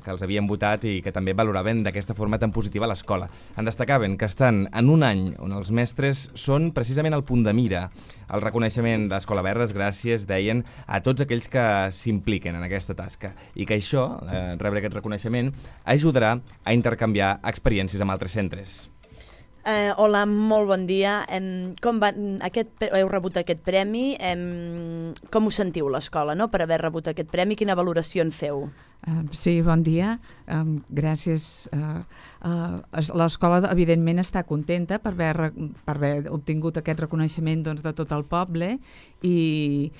els havien votat i que també valoraven d'aquesta forma tan positiva l'escola. En destacaven que estan en un any on els mestres són precisament el punt de mira. El reconeixement d'Escola Verdes, gràcies, deien, a tots aquells que s'impliquen en aquesta tasca i que això, rebre aquest reconeixement, ajudarà a intercanviar experiències amb altres centres. Hola, molt bon dia. Heu rebut aquest premi. Com us sentiu l'escola, no?, per haver rebut aquest premi? Quina valoració en feu? Sí, bon dia. Gràcies. L'escola, evidentment, està contenta per haver obtingut aquest reconeixement de tot el poble i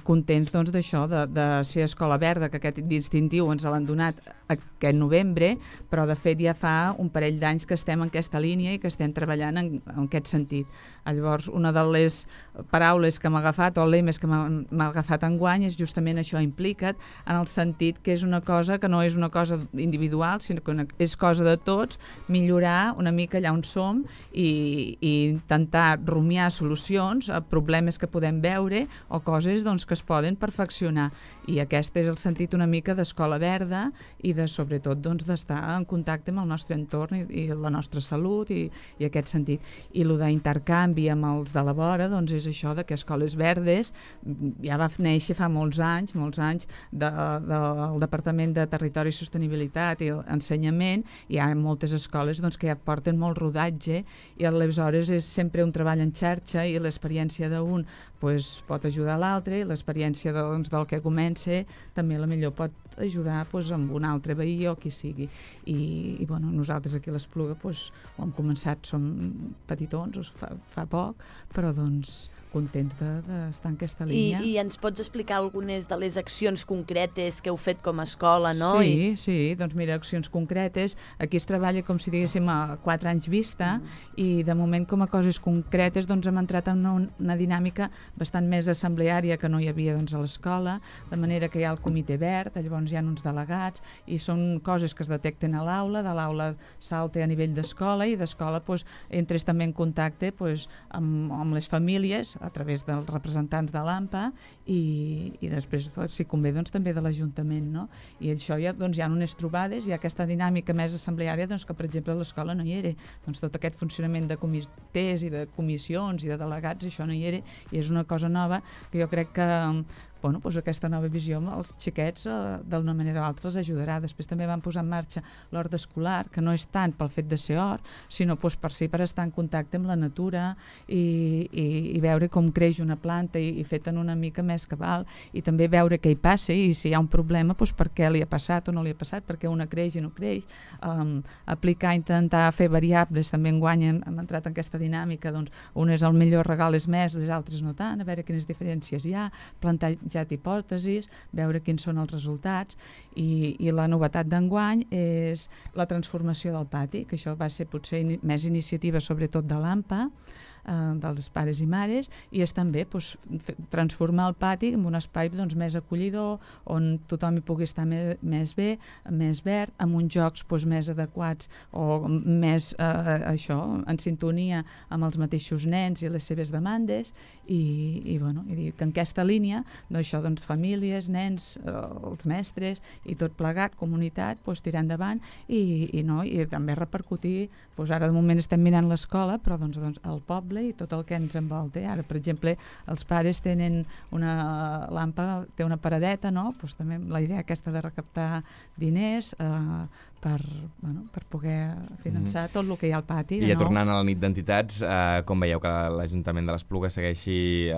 contents d'això, de ser Escola Verda, que aquest distintiu ens l'han donat aquest novembre, però de fet ja fa un parell d'anys que estem en aquesta línia i que estem treballant en aquest sentit. Llavors, una de les paraules que m'ha agafat, o lemes que m'ha agafat enguany, és justament això, implica't, en el sentit que és una cosa que no és una cosa individual, sinó que és cosa de tots, millorar una mica allà on som i intentar rumiar solucions a problemes que podem veure o coses que es poden perfeccionar. I aquest és el sentit una mica d'Escola Verda i sobretot d'estar en contacte amb el nostre entorn i la nostra salut i aquest sentit. I el d'intercanvi amb els de la vora és això, que Escoles Verdes ja va néixer fa molts anys del Departament de Territori i Sostenibilitat i Ensenyament. Hi ha moltes escoles que ja porten molt rodatge i aleshores és sempre un treball en xarxa i l'experiència d'un pot ajudar a l'altre i l'experiència del que comença també potser pot ajudar amb un altre veí o qui sigui. I nosaltres aquí a l'Espluga ho hem començat, som petitons, fa poc, però contents d'estar en aquesta línia. I ens pots explicar algunes de les accions concretes que heu fet com a escola, no? Sí, mira, accions concretes. Aquí es treballa com si diguéssim a 4 anys vista i de moment com a coses concretes hem entrat en una dinàmica bastant més assembleària que no hi havia a l'escola, de manera que hi ha el comitè verd, llavors hi ha uns delegats i i són coses que es detecten a l'aula, de l'aula salta a nivell d'escola i d'escola entres també en contacte amb les famílies a través dels representants de l'AMPA i després, si convé, també de l'Ajuntament, no? I això hi ha unes trobades, hi ha aquesta dinàmica més assembleària que, per exemple, a l'escola no hi era. Tot aquest funcionament de comitès i de comissions i de delegats, això no hi era, i és una cosa nova que jo crec que aquesta nova visió amb els xiquets d'una manera o altra els ajudarà. Després també van posar en marxa l'hort escolar, que no és tant pel fet de ser hort, sinó per estar en contacte amb la natura i veure com creix una planta i fet en una mica més cabal, i també veure què hi passa i si hi ha un problema, per què li ha passat o no li ha passat, perquè una creix i no creix. Intentar fer variables, també enguany hem entrat en aquesta dinàmica, unes el millor regal és més, les altres no tant, a veure quines diferències hi ha, plantar hipòtesis, veure quins són els resultats, i la novetat d'enguany és la transformació del pati, que això va ser potser més iniciativa sobretot de l'AMPA, dels pares i mares, i és també transformar el pati en un espai més acollidor, on tothom hi pugui estar més bé, més verd, amb uns jocs més adequats o més en sintonia amb els mateixos nens i les seves demandes, i que en aquesta línia famílies, nens, els mestres i tot plegat, comunitat, tirar endavant i també repercutir. Ara de moment estem mirant l'escola, però el poble i tot el que ens envolta. Ara, per exemple, els pares tenen l'AMPA té una paradeta, també la idea aquesta de recaptar diners per poder finançar tot el que hi ha al pati. I tornant a la nit d'entitats, com veieu que l'Ajuntament de l'Espluga segueixi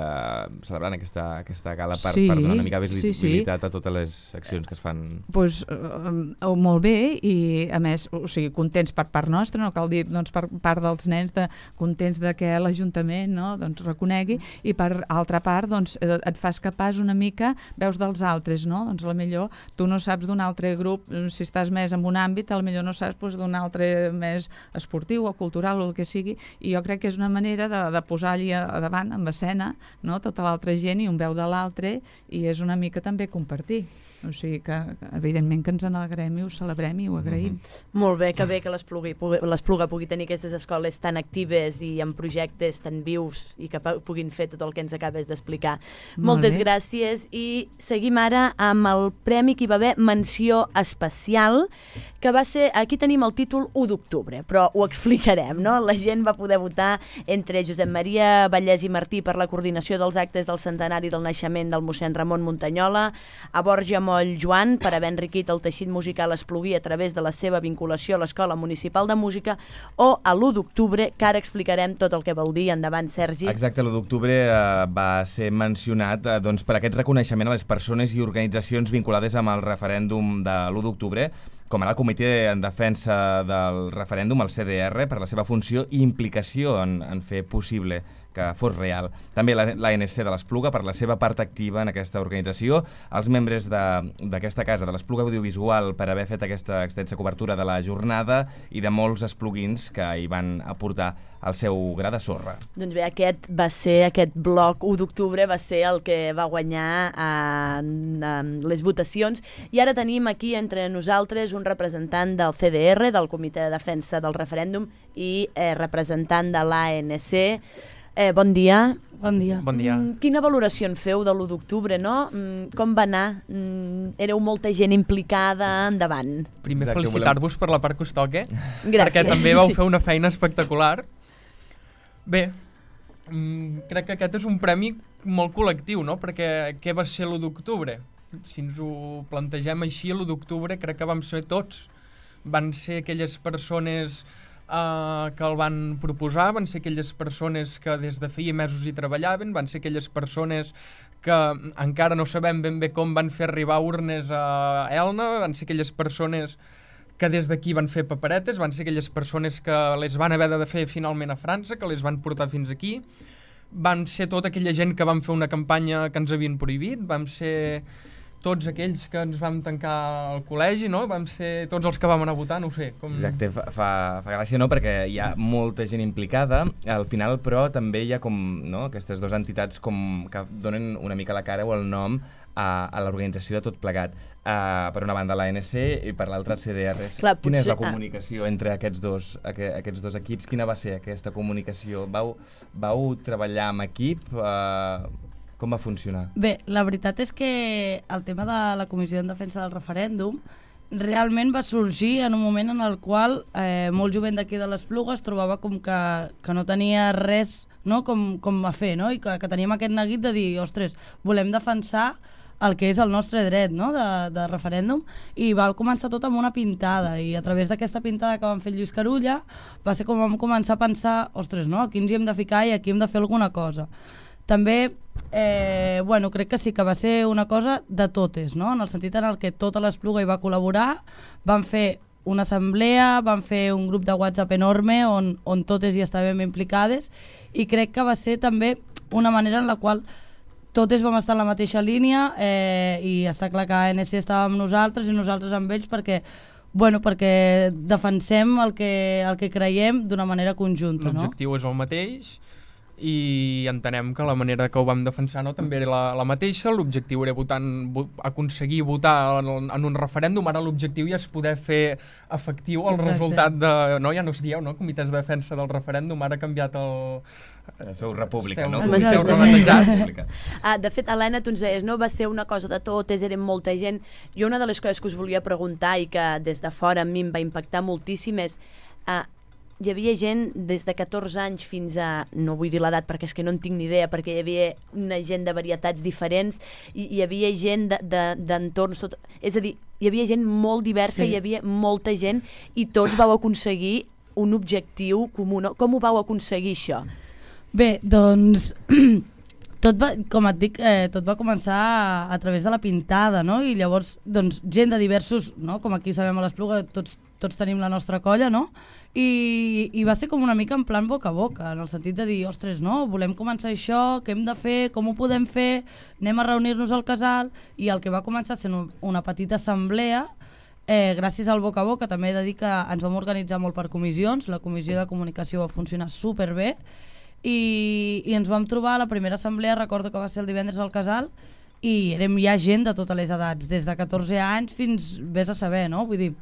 celebrant aquesta gala per donar una mica visibilitat a totes les accions que es fan? Molt bé, i a més, contents per part nostra, no cal dir per part dels nens, contents que l'Ajuntament reconegui, i per altra part et fas capaç una mica, veus dels altres, potser tu no saps d'un altre grup, si estàs més en un àmbit, potser no saps d'un altre més esportiu o cultural o el que sigui, i jo crec que és una manera de posar allí a davant, en escena, tota l'altra gent i un veu de l'altre, i és una mica també compartir. O sigui que, evidentment, que ens n'alegrem i ho celebrem i ho agraïm. Molt bé que l'Espluga pugui tenir aquestes escoles tan actives i amb projectes tan vius i que puguin fer tot el que ens acabes d'explicar. Moltes gràcies, i seguim ara amb el premi que hi va haver menció especial, que va ser, aquí tenim el títol 1 d'octubre, però ho explicarem, no? La gent va poder votar entre Josep Maria Vallès i Martí per la coordinació dels actes del centenari del naixement del mossèn Ramon Muntanyola, a Borja Moll Joan per haver enriquit el teixit musical espluguí a través de la seva vinculació a l'Escola Municipal de Música, o a l'1 d'octubre, que ara explicarem tot el que vol dir. Endavant, Sergi. Exacte, l'1 d'octubre va ser mencionat per aquest reconeixement a les persones i organitzacions vinculades amb el referèndum de l'1 d'octubre, com ara el Comitè en Defensa del Referèndum, el CDR, per la seva funció i implicació en fer possible que fos real. També l'ANC de l'Espluga per la seva part activa en aquesta organització, els membres d'aquesta casa, de l'Espluga Audiovisual, per haver fet aquesta extensa cobertura de la jornada, i de molts espluguins que hi van aportar el seu gra de sorra. Doncs bé, aquest bloc 1 d'octubre va ser el que va guanyar les votacions, i ara tenim aquí entre nosaltres un representant del CDR, del Comitè de Defensa del Referèndum, i representant de l'ANC. Bon dia. Bon dia. Bon dia. Quina valoració en feu de l'1 d'octubre, no? Com va anar? Éreu molta gent implicada, endavant. Primer felicitar-vos per la part que us toca. Gràcies. Perquè també vau fer una feina espectacular. Bé, crec que aquest és un premi molt col·lectiu, no? Perquè què va ser l'1 d'octubre? Si ens ho plantegem així, l'1 d'octubre crec que vam ser tots. Van ser aquelles persones que el van proposar, van ser aquelles persones que des de feia mesos hi treballaven, van ser aquelles persones que encara no sabem ben bé com van fer arribar urnes a Elna, van ser aquelles persones que des d'aquí van fer paperetes, van ser aquelles persones que les van haver de fer finalment a França, que les van portar fins aquí, van ser tota aquella gent que van fer una campanya que ens havien prohibit, vam ser tots aquells que ens vam tancar al col·legi, no? Vam ser tots els que vam anar a votar, no ho sé. Exacte, fa gràcia, no?, perquè hi ha molta gent implicada, al final, però també hi ha com, no?, aquestes dues entitats com que donen una mica la cara o el nom a l'organització de tot plegat. Per una banda l'ANC i per l'altra CDRs. Clar, Quina és la potser- comunicació entre aquests dos equips? Quina va ser aquesta comunicació? Vau treballar en equip? Com va funcionar? Bé, la veritat és que el tema de la Comissió en Defensa del Referèndum realment va sorgir en un moment en el qual molt jovent d'aquí de l'Espluga es trobava com que no tenia res, no, com a fer, no? I que teníem aquest neguit de dir, ostres, volem defensar el que és el nostre dret, no?, de referèndum, i va començar tot amb una pintada, i a través d'aquesta pintada que vam fer Lluís Carulla va ser com vam començar a pensar, ostres, no?, aquí ens hi hem de ficar i aquí hem de fer alguna cosa. També, bueno, crec que sí que va ser una cosa de totes, no?, en el sentit en el que tota l'Espluga hi va col·laborar, vam fer una assemblea, vam fer un grup de WhatsApp enorme on totes hi estàvem implicades, i crec que va ser també una manera en la qual totes vam estar en la mateixa línia, i està clar que ANC estava amb nosaltres i nosaltres amb ells perquè defensem el que creiem d'una manera conjunta. L'objectiu és el mateix i entenem que la manera que ho vam defensar també era la mateixa. L'objectiu era aconseguir votar en un referèndum. Ara l'objectiu ja és poder fer efectiu el resultat de... No, ja no es dieu, no? Comitès de Defensa del Referèndum, ara ha canviat el... Sou república, no? Esteu rebatejats. De fet, Helena, tu ens deies, no? Va ser una cosa de totes, érem molta gent. Jo una de les coses que us volia preguntar i que des de fora a mi em va impactar moltíssim és... hi havia gent des de 14 anys fins a... no vull dir l'edat perquè és que no en tinc ni idea, perquè hi havia una gent de varietats diferents, i hi havia gent d'entorns... És a dir, hi havia gent molt diversa, sí. Hi havia molta gent i tots vau aconseguir un objectiu comú. Com ho vau aconseguir, això? Bé, doncs... com et dic, tot va començar a través de la pintada, no? I llavors, doncs, gent de diversos, no? Com aquí sabem a l'Espluga, tots tenim la nostra colla, no? I va ser com una mica en plan boca a boca, en el sentit de dir, ostres, no, volem començar això, què hem de fer, com ho podem fer, anem a reunir-nos al casal, i el que va començar sent una petita assemblea, gràcies al boca a boca, també he de dir que ens vam organitzar molt per comissions, la comissió de comunicació va funcionar superbé, i ens vam trobar a la primera assemblea, recordo que va ser el divendres al casal, i érem ja gent de totes les edats, des de 14 anys fins vés a saber, no? Vull dir,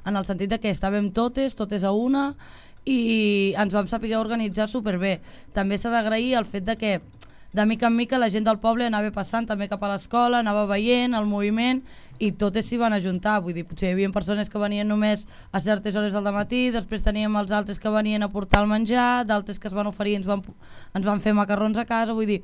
en el sentit de que estàvem totes a una, i ens vam saber organitzar superbé. També s'ha d'agrair el fet de que de mica en mica la gent del poble anava passant també cap a l'escola, anava veient el moviment i totes s'hi van ajuntar. Vull dir, potser hi havia persones que venien només a certes hores del matí, després teníem els altres que venien a portar el menjar, d'altres que es van oferir, ens van fer macarrons a casa. Vull dir,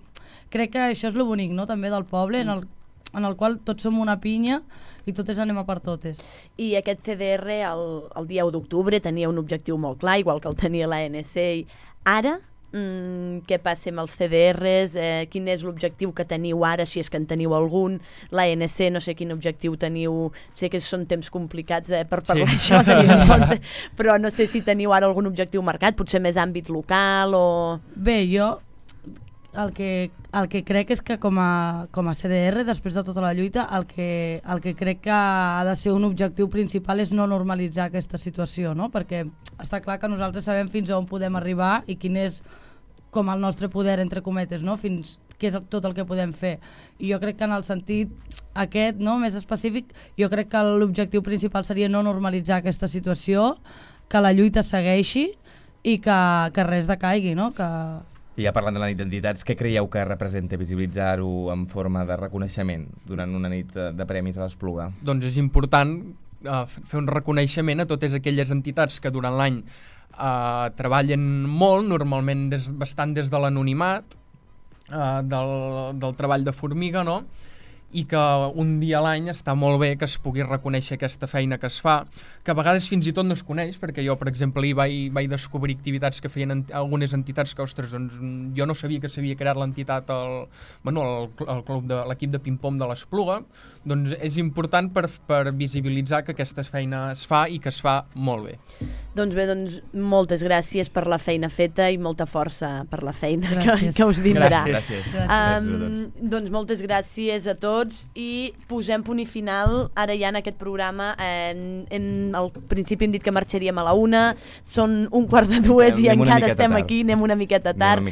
crec que això és lo bonic, no?, també del poble, en el qual tots som una pinya i totes anem a per totes. I aquest CDR el dia 1 d'octubre tenia un objectiu molt clar, igual que el tenia l'ANC. Ara, què passa amb els CDRs? Quin és l'objectiu que teniu ara, si és que en teniu algun? L'ANC, no sé quin objectiu teniu, sé que són temps complicats per parlar d'això, però no sé si teniu ara algun objectiu marcat, potser més àmbit local o... Bé, jo el que crec és que com a CDR, després de tota la lluita, el que crec que ha de ser un objectiu principal és no normalitzar aquesta situació, no? Perquè està clar que nosaltres sabem fins a on podem arribar i quin és com el nostre poder, entre cometes, no? Fins què és tot el que podem fer. I jo crec que en el sentit aquest, no, més específic, jo crec que l'objectiu principal seria no normalitzar aquesta situació, que la lluita segueixi i que res decaigui, no? I ja parlant de la nit d'entitats, què creieu que representa visibilitzar-ho en forma de reconeixement durant una nit de premis a l'Espluga? Doncs és important fer un reconeixement a totes aquelles entitats que durant l'any treballen molt, normalment bastant des de l'anonimat, del treball de formiga, no? I que un dia a l'any està molt bé que es pugui reconèixer aquesta feina que es fa, que a vegades fins i tot no es coneix, perquè jo, per exemple, vaig descobrir activitats que feien algunes entitats que, ostres, doncs jo no sabia que s'havia creat l'entitat, l'equip de ping-pong de l'Espluga, doncs és important per visibilitzar que aquesta feina es fa i que es fa molt bé. Doncs bé, moltes gràcies per la feina feta i molta força per la feina que us vindrà. Gràcies. Doncs moltes gràcies a tots. tots i posem punt i final ara ja en aquest programa. Al principi hem dit que marxaríem a la 1, són 1:45 i encara estem aquí, anem una miqueta tard.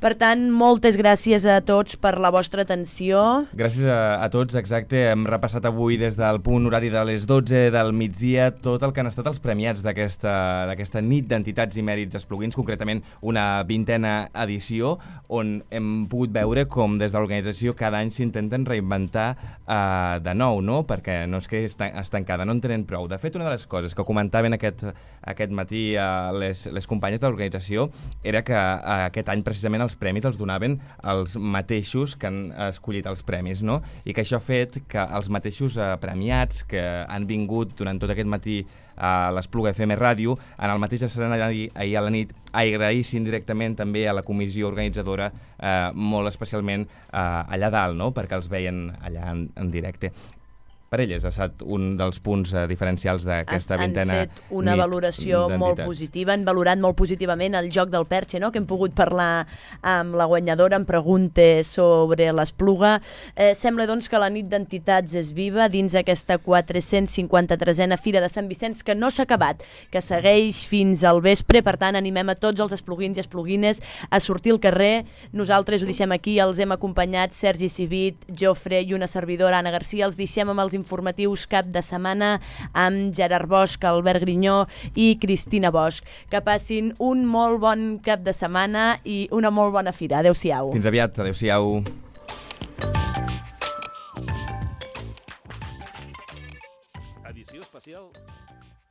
Per tant, moltes gràcies a tots per la vostra atenció. Gràcies a tots, exacte. Hem repassat avui des del punt horari de les 12 del migdia tot el que han estat els premiats d'aquesta nit d'entitats i mèrits espluguins, concretament una 20a edició, on hem pogut veure com des de l'organització cada any s'intenten reinventar de nou, no? Perquè no és que estancada, no en tenen prou. De fet, una de les coses que comentaven aquest matí les companyes de l'organització era que aquest any precisament els premis els donaven els mateixos que han escollit els premis, no? I que això ha fet que els mateixos premiats que han vingut durant tot aquest matí a l'Espluga FM Ràdio, en el mateix escenari ahir a la nit, agraïssin directament també a la comissió organitzadora, molt especialment allà dalt, no? Perquè els veien allà en directe. Per elles ha estat un dels punts diferencials d'aquesta 20a nit. Han fet una valoració molt positiva, han valorat molt positivament el joc del Perche, no? Que hem pogut parlar amb la guanyadora en preguntes sobre l'Espluga. Sembla doncs que la nit d'entitats és viva dins aquesta 453a Fira de Sant Vicenç, que no s'ha acabat, que segueix fins al vespre. Per tant, animem a tots els espluguins i espluguines a sortir al carrer. Nosaltres ho deixem aquí, els hem acompanyat Sergi Civit, Jofre i una servidora, Anna Garcia. Els deixem amb els informatius cap de setmana amb Gerard Bosch, Albert Grinyó i Cristina Bosch. Que passin un molt bon cap de setmana i una molt bona fira. Adéu-siau. Fins aviat, adéu-siau. Edició especial